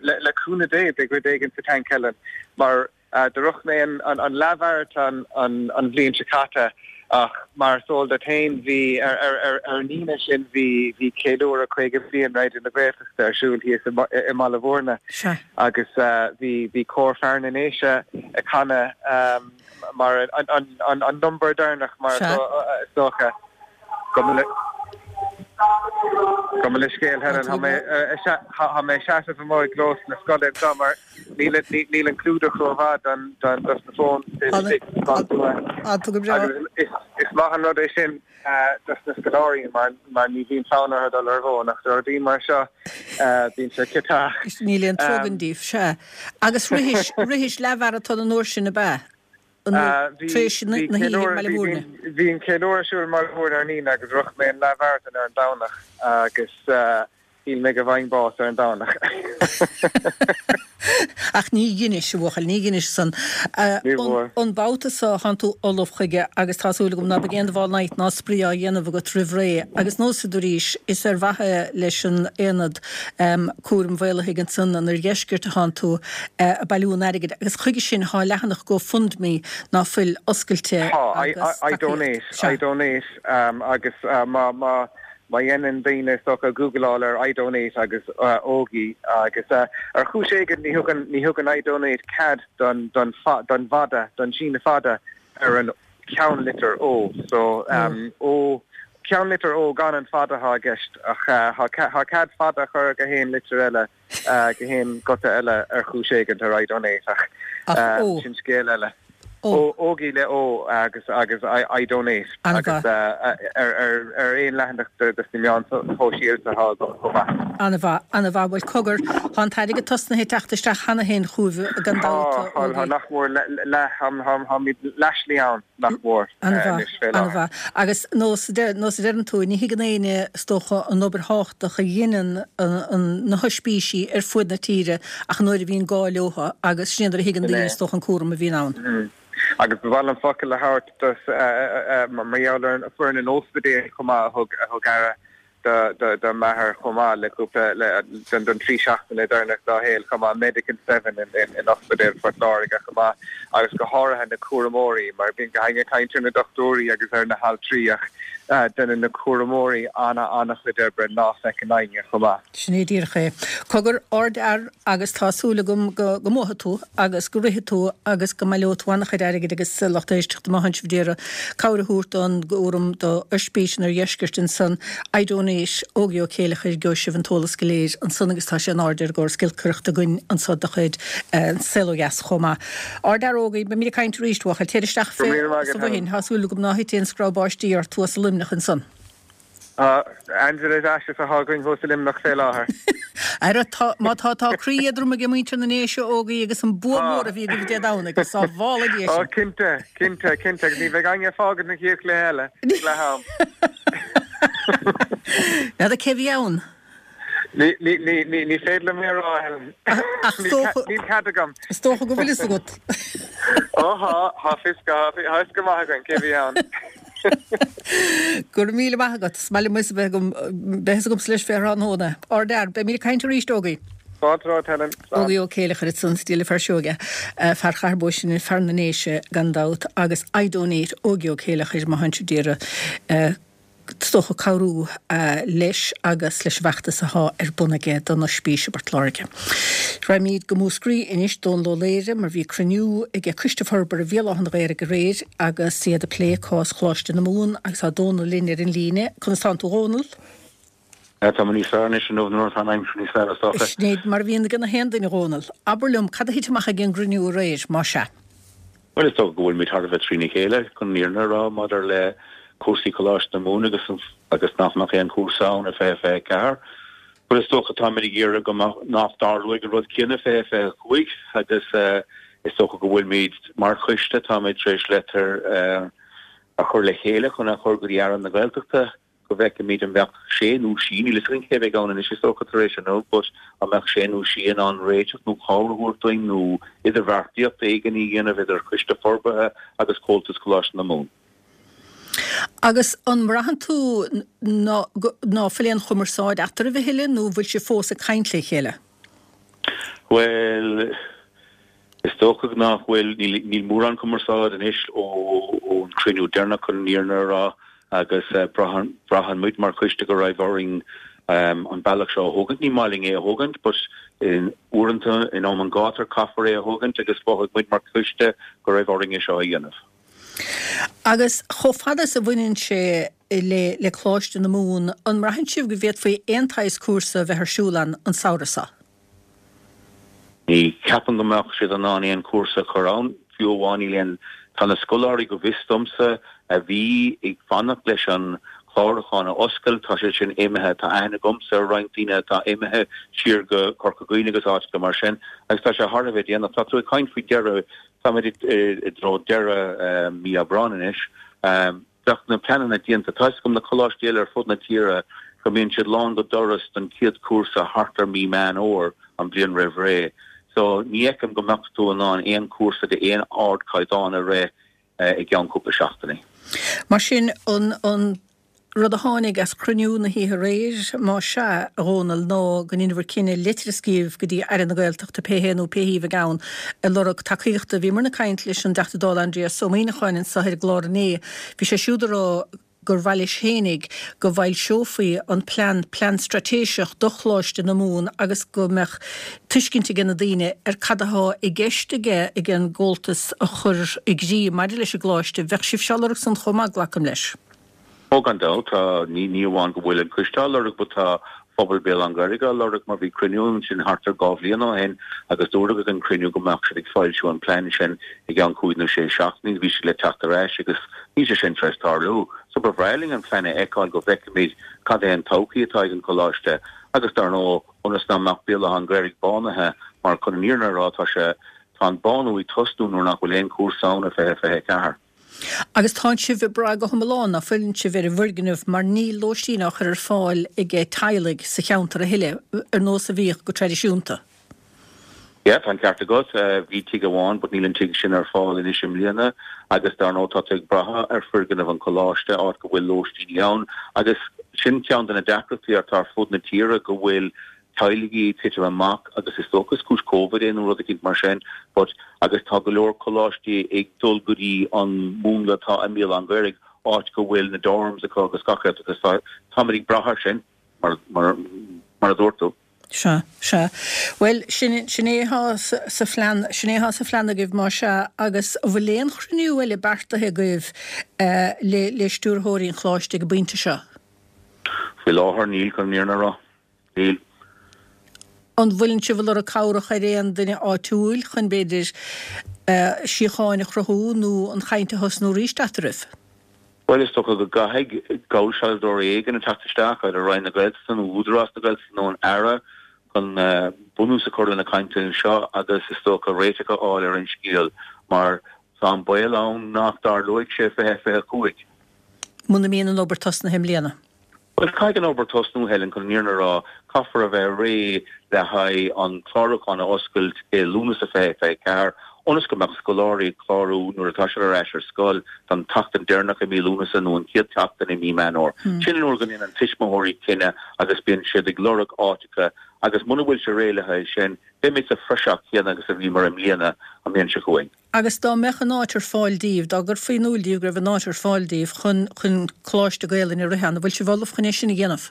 le cúnamh Dé beidh rud éigin sa tank, Helen, mar do rith mé an leathmharatón an bhliain seo caite ach mar is eol duit féin bhí ar an Aoine sin bhí bhí ceiliúradh caoga bliain Raidió na Gaeltachta ar siúl thíos i mBaile Bhúirne agus bhí bhí cór fear na nDéise ag canadh mar an an number deireanach mar is dócha. Gabh mo leithscéal Helen, tá mé tá mé ag seasamh amuigh i gclós na scoile anseo mar níl níl an clúdach rómhaith don don dos na fóin Is maith an rud é sin dos na scoláirí mar mar ní bhíonn fonn orthu dul ar an bhfón ach do rudaí mar seo bíonn sé ciotach. Níl aon trua díobh, sea. Agus rithis rithis leathmharatón an uair sin ab ea? Tar éis na hoíche i mBaile Bhúirne. Bhí an ceiliúradh ar siúl i mBaile Bhúirne ar an Aoine agus rith mé an leathmharatón ar an Domhnach agus shíl mé go bhfaighinn bás ar an Domhnach. Ach ní dheinis, a bhuachaill, ní dheinis san. Ní bhfuair. An babhta so, thánn tú ullamh chuige agus tá súil agam ná beidh aon dubhán night ná spraoi á dhéanamh agat roimh ré. Agus nós a dúraís, is ar mhaithe leis an Aonad Cúraim Mhaolaithigh ansan in Oirdheisceart a thánn tú ag bailiú an airgid agus chuige sin thá leathanach GoFundMe ná fuil oscailte Tá, agus I donate, tacaíocht. I donate agus má má má dhéanann daoine is dócha googleáil ar I donate agus Ógie agus ar chúis éigin ní thugann ní thugann I donate cead don don don bhfada don síneadh fada ar an ceannlitir O so O ceannlitir O gan an fada atá i gceist ach tá cead fada a chur go haon litir eile go haon guta eile ar chúis éigin ar iDonate ach sin scéal eile. O, Ógie le O agus agus iDonate agus ar ar aon leathanach de sna meáin shóisialta atá agam chomh maith. An-mhaith, an-mhaith. Bhuel cogar, tá an t-airgead tosnaithe ag teacht isteach cheana féin chugaibh gan dabht, Tá, tá, Ógie. nach mór leath, táimid leath slí ann. nach mór, An-mhaith, anois fé láthair. an-mhaith. Agus nós a deireann tú, ní thuigeann éinne, is dócha, an obair thábhachtach a dheineann na hoispísí ar fuaid na tíre ach an uair a bhíonn gá leotha agus sin é nuair a thuigeann Sin daoine, é. is dócha, an cúram a bhíonn ann. Agus ba mhaith liom focal a thabhairt dos, mar gheall ar foireann an ospidéil chomh maith a thug a thug aire do m'athair chomh maith le cúpla don trí seachtaine deireanach dá shaol chomh maith, Medical Seven in Ospidéal Phort Láirge chomh maith agus go háirithe na cúramóirí mar bíonn éinne ag caint ar na dochtúirí agus ar na haltraí ach déanann na cúramóirí ana-ana-chuid oibre ná feiceann éinne chomh maith. Sin é díreach é. Cogar, ardfhear agus tá súil agam go go mbuafaidh tú agus go rithfidh tú agus go mbaileoidh tú an-chuid airgid agus lucht éisteachta má thánn sibh d'iarraidh cabhair a thabhairt don gcúram do oispís an Oirdheiscirt ansan. iDonate. nDéise, Ógie Ó Céileachair, gheobhaidh sibh an t-eolas go léir ansan agus tá sé in airde ar an gcóras giolcaireachta againn anso de chuid An Saol Ó Dheas chomh maith. Ardfhear Ógie, beimid ag caint arís, a bhuachaill. Téir isteach Go raibh míle maith sa agat, Helen. bhfothain. Tá súil agam ná thit aon screamh báistí ort thuas i Luimneach ansan. Tá Angela is ashes atá againn thuas i Luimneach fé láthair. Ara, tá, má tá, tá croí éadrom aige muintir na nDéise, Ógie, agus an bua Tá. mór a bhí agaibh Dé Domhnaigh, agus sábhála Dia Ó, sinn. cinnte, cinnte, cinnte, agus ní bheidh éinne ag fágaint an chéad chluiche eile ag leath am. N'fheadar cé bhí ann? Ní, ní, ní, ní, ní féidir liom é a rá, Helen. Ach Níl dócha, níl cead agam. is dócha go bhfuil fhios agat. Ó thá, thá fios go, thá fios go maith againn cé bhí ann. Go raibh míle maith agat. Is maith liom fhios a bheith agam, beidh fhios agamsa leis fé thráthnóna. Ardfhear, beimid ag caint arís, Ógie. Fáilte romhat, Helen. Slán. Ógie Ó Céileachair ansan, Stialla Fear Seoige, fear Chathair Bó Sine, fear na nDéise gan dabht, agus iDonate Ógie Ó Céileachair, má thánn sibh d'iarraidh is dócha cabhrú leis agus leis an bhfeachtas athá ar bun aige don Oispís i bPort Láirge. Raghaimid go Múscraí anois, Dónal Ó Laoghaire, mar bhí cruinniú aige Coiste Forbartha Bhéal Átha an Ghaorthaidh aréir agus iad ag plé cás Choláiste na Mumhan agus tá Dónal linn ar an líne. Conas tánn tú a Dhónaill? Tá mé níos fearr anois inniu nuair atá an aimsir níos fearr is dócha. Sin é mar a bhíonn ag na haon duine a Dhónaill. Abair liom, cad a thit amach ag an gcruinniú aréir, más ea? Bhuel, is dócha go bhfuilimid thar a bheith trína chéile, chun an fhírinne a rá, maidir le cúrsaí Choláiste na Mumhan agus agus nach mbeadh aon chúrsa ann i fiche fiche ceathair. Bhuel, is dócha táimid ag iarraidh go mbeadh, nach dtarlóidh an rud céanna fiche fiche cúig agus is dócha go bhfuilimid mar choiste, táimid tar éis leitir a chur le chéile chun a chur go dtí Aire na Gaeltachta. go bhfeicfimid an mbeadh sé nó sí, níl fhios againn cé a bheidh ann anois is dócha tar éis inniu, but an mbeadh sé nó sí in ann réiteach nó cabhair a thabhairt dúinn nó idirbheartaíocht éigin a dhéanamh idir Coiste Forbartha agus Comhaltas Choláiste na Mumhan. Agus an mbraitheann tú ná ná fuil aon chumarsáid eatarthu a thuilleadh nó an bhfuil sibh fós ag caint le chéile? Bhuel, is dócha nach bhfuil, níl níl mórán cumarsáid anois ó ón chruinniú deireanach chun an fhírinne a rá agus braitheann braitheann muid mar choiste go raibh orainn an bealach seo a thógaint. Ní maith linn é a thógaint but in uaireanta in am an ghátair caithfear é a thógaint agus mhothaigh muid mar choiste go raibh orainn é seo a dhéanamh. Agus chomh fada is a bhaineann sé le le Coláiste na Mumhan, an mbraitheann sibh go bhféadfaí aon tsaghas cúrsa a bheith ar siúl ann an samhradh seo? Ní cheapaim go mbeadh siad in ann aon chúrsa a chur ann, fiú amháin níl aon, tá na scoláirí go bhfios domsa a bhí ag fanacht leis an chlárúchán a oscailt, tá siad sin imithe, tá aithne agamsa ar roinnt daoine atá imithe siar go Corca Dhuibhne agus áiteacha mar sin agus tá sé thar a bheith déanach. Tá tú ag caint faoi dheireadh, táimid i dtreo deireadh mí Aibreáin anois. Bheadh na pleananna déanta. Tá fhios agam na coláistí eile ar fud na tíre go mbíonn siad lán go doras don chéad chúrsa thart ar mí Meán Fhómhair an bhliain roimh ré. So ní fheicim go mbeadh tú in ann aon chúrsa de aon ardchaighdeán a rith i gceann cúpla seachtainí. Mar sin, an an rud a tháinig as cruinniú na hoíche aréir, más ea, a Dhónaill, ná go ndéanfar cinneadh litir a scríobh go dtí Aire na Gaeltachta, pé hé nó pé hí a bheidh ann, ag lorg tacaíochta. Bhíomarna ag caint leis an dTeachta Dála Aindrias Ó Muimhneacháin anseo ar an gclár inné. Bhí sé siúd ag rá gur mhaith leis fhéinig go bhfoilseofaí an plean, plean straitéiseach do Choláiste na Mumhan agus go mbeadh tuiscint aige na daoine ar cad athá i gceist aige ag an gComhaltas a chur i gcrích maidir leis an gColáiste. Bheadh sibhse á lorg san chomh maith, glacaim leis. Ó gan dabht, tá, ní ní amháin go bhfuil an coiste á lorg but tá phobal Béal Átha an Ghaorthaidh á lorg mar bhí cruinniú ansin thart ar dhá bhliain ó shin agus dúradh ag an cruinniú go mbeadh siad ag foilsiú an plean sin i gceann cúig nó sé seachtainí bhí siad le teacht ar ais agus níl sé sin tar éis tarlú. So ba bhreá linn an plean a fheiceáil go bhfeicfimid cad é an todhchaí atá ag an choláiste agus dar ndóigh ionas nach mbeadh Béal Átha an Ghaorthaidh bánaithe mar chun an fhírinne a rá tá sé tá an bánú ag tosnú nuair nach bhfuil aon chúrsa ann i fiche fiche ceathair. Agus tánn sibh ag brath go hiomlán, ná fuileann sibh, ar an bhfoirgneamh mar níl lóistín á chur ar fáil ag teaghlaigh sa cheantar a thuilleadh, ar nós a bhíodh go traidisiúnta. Yeah, tá an ceart agat. Bhí tigh amháin but níl an tigh sin ar fáil anois i mbliana agus dar ndóigh tá tú ag brath ar foirgneamh an choláiste, áit go bhfuil lóistíní ann agus sin ceann de na deacrachtaí atá ar fud na tíre go bhfuil teaghlaigh ag titim amach agus is dócha is cúis Covid é nó rud eicínt mar sin but agus tá go leor coláistí ag dul go dtí an múnla atá i mBéal Átha an Ghaorthaidh áit go bhfuil na dorms acu agus gach rud agus tá táimid ag brath air sin mar mar mar a dúirt tú. Sea, sea. Bhuel, sin sin é atá sa sa phlean, sin é atá sa phlean agaibh más ea agus an bhfuil aon chruinniú eile beartaithe agaibh eh le le stiúrthóirí an choláiste ag an bpointe seo? Faoi láthair níl, chun an fhírinne a rá. Níl. An bhfuileann sibh ag lorg cabhrach ar aon duine áitiúil chun, b'fhéidir, síocháin a chruthú nó an chaint a thosnú arís eatarthu? Bhuel, is dócha go gcaithfidh geallsealbhóir éigin a teacht isteach, idir Roinn na Gaeltachta nó Údarás na Gaeltachta nó an Aire, chun bunús a chur le na cainteanna seo agus is dócha réiteach a fháil ar an scéal mar tá an baol ann nach dtarlóidh sé fiche fiche a cúig. Muna mbíonn an obair tosnaithe i mbliana. Bhuel, caithfidh an obair tosnú, Helen, chun an fhírinne a rá. Caithfear a bheith réidh le haghaidh an clárúchán a oscailt i Lúnasa fiche fiche a ceathair, ionas go mbeadh scoláirí ag clárú nuair atá siad ar ais ar scoil don tseachtain deireanach i mí Lúnasa nó an chéad tseachtain i mí Meán Fhómhair. Sin an uair go ndéanann tuismitheoirí cinneadh agus bíonn siad ag lorg áiteacha agus muna bhfuil sé réidh le haghaidh sin, beimid sa phraiseach chéanna agus a bhíomar i mbliana an bhliain seo chugainn. Agus dá mbeadh an áit ar fáil daoibh, dá gcuirfí in iúl daoibh go raibh an áit ar fáil daoibh chun, chun coláiste Gaelainne a rith ann, an bhfuil sibh ullamh chun é sin a dhéanamh?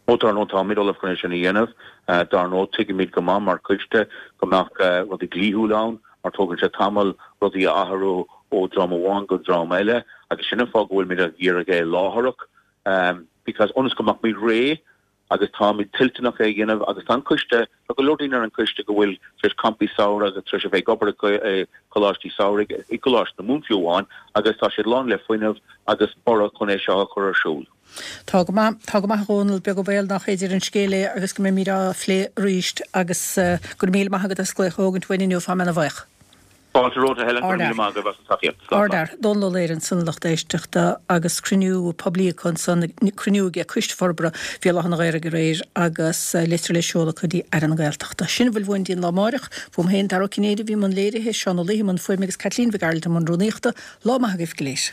Ó, dar ndóigh, táimid ullamh chun é sin a dhéanamh. Dar ndóigh, tuigimid go maith mar choiste go mbeadh rudaí dlíthiúil ann, mar tógann sé tamall rudaí a athrú ó dream amháin go dream eile, agus sin an fáth go bhfuilimid ag iarraidh é láithreach, because ionas go mbeadh muid réidh agus táimid toilteanach é a dhéanamh agus tá an coiste, tá go leor daoine ar an choiste go bhfuil tar éis campaí samhraidh agus tar éis a bheith ag obair i gcoláistí samhraidh, i gColáiste na Mumhan fiú amháin, agus tá siad lán le fuinneamh agus borradh chun é seo a chur ar siúl. Tá go maith, tá go maith a Dhónaill, beag an baol nach féidir an scéal é agus go mbeimid á phlé arís agus go raibh míle maith agat as glaoch a thógaint uainn inniu, tá mé ana-bhuíoch. Fáilte romhat, a Helen, go raibh míle maith agaibh as an tacaíocht. Slán. Ardfhear, Dónal Ó Laoghaire ansan a lucht éisteachta agus cruinniú poiblí acu ansan, cruinniú aige Coiste Forbartha Bhéal Átha na Ghaorthaidh aréir agus litir le seoladh acu dtí Aire na Gaeltachta. Sin a bhfuil uainn dtí an lá amáireach. Fúm féin, Dara Ó Cinnéide a bhí i mbun léirithe, Seán Ó Laoithe i mbun fuaime agus Caitlín Mhic Gearailt i mbun rúnaíochta. Lá maith agaibh go léir.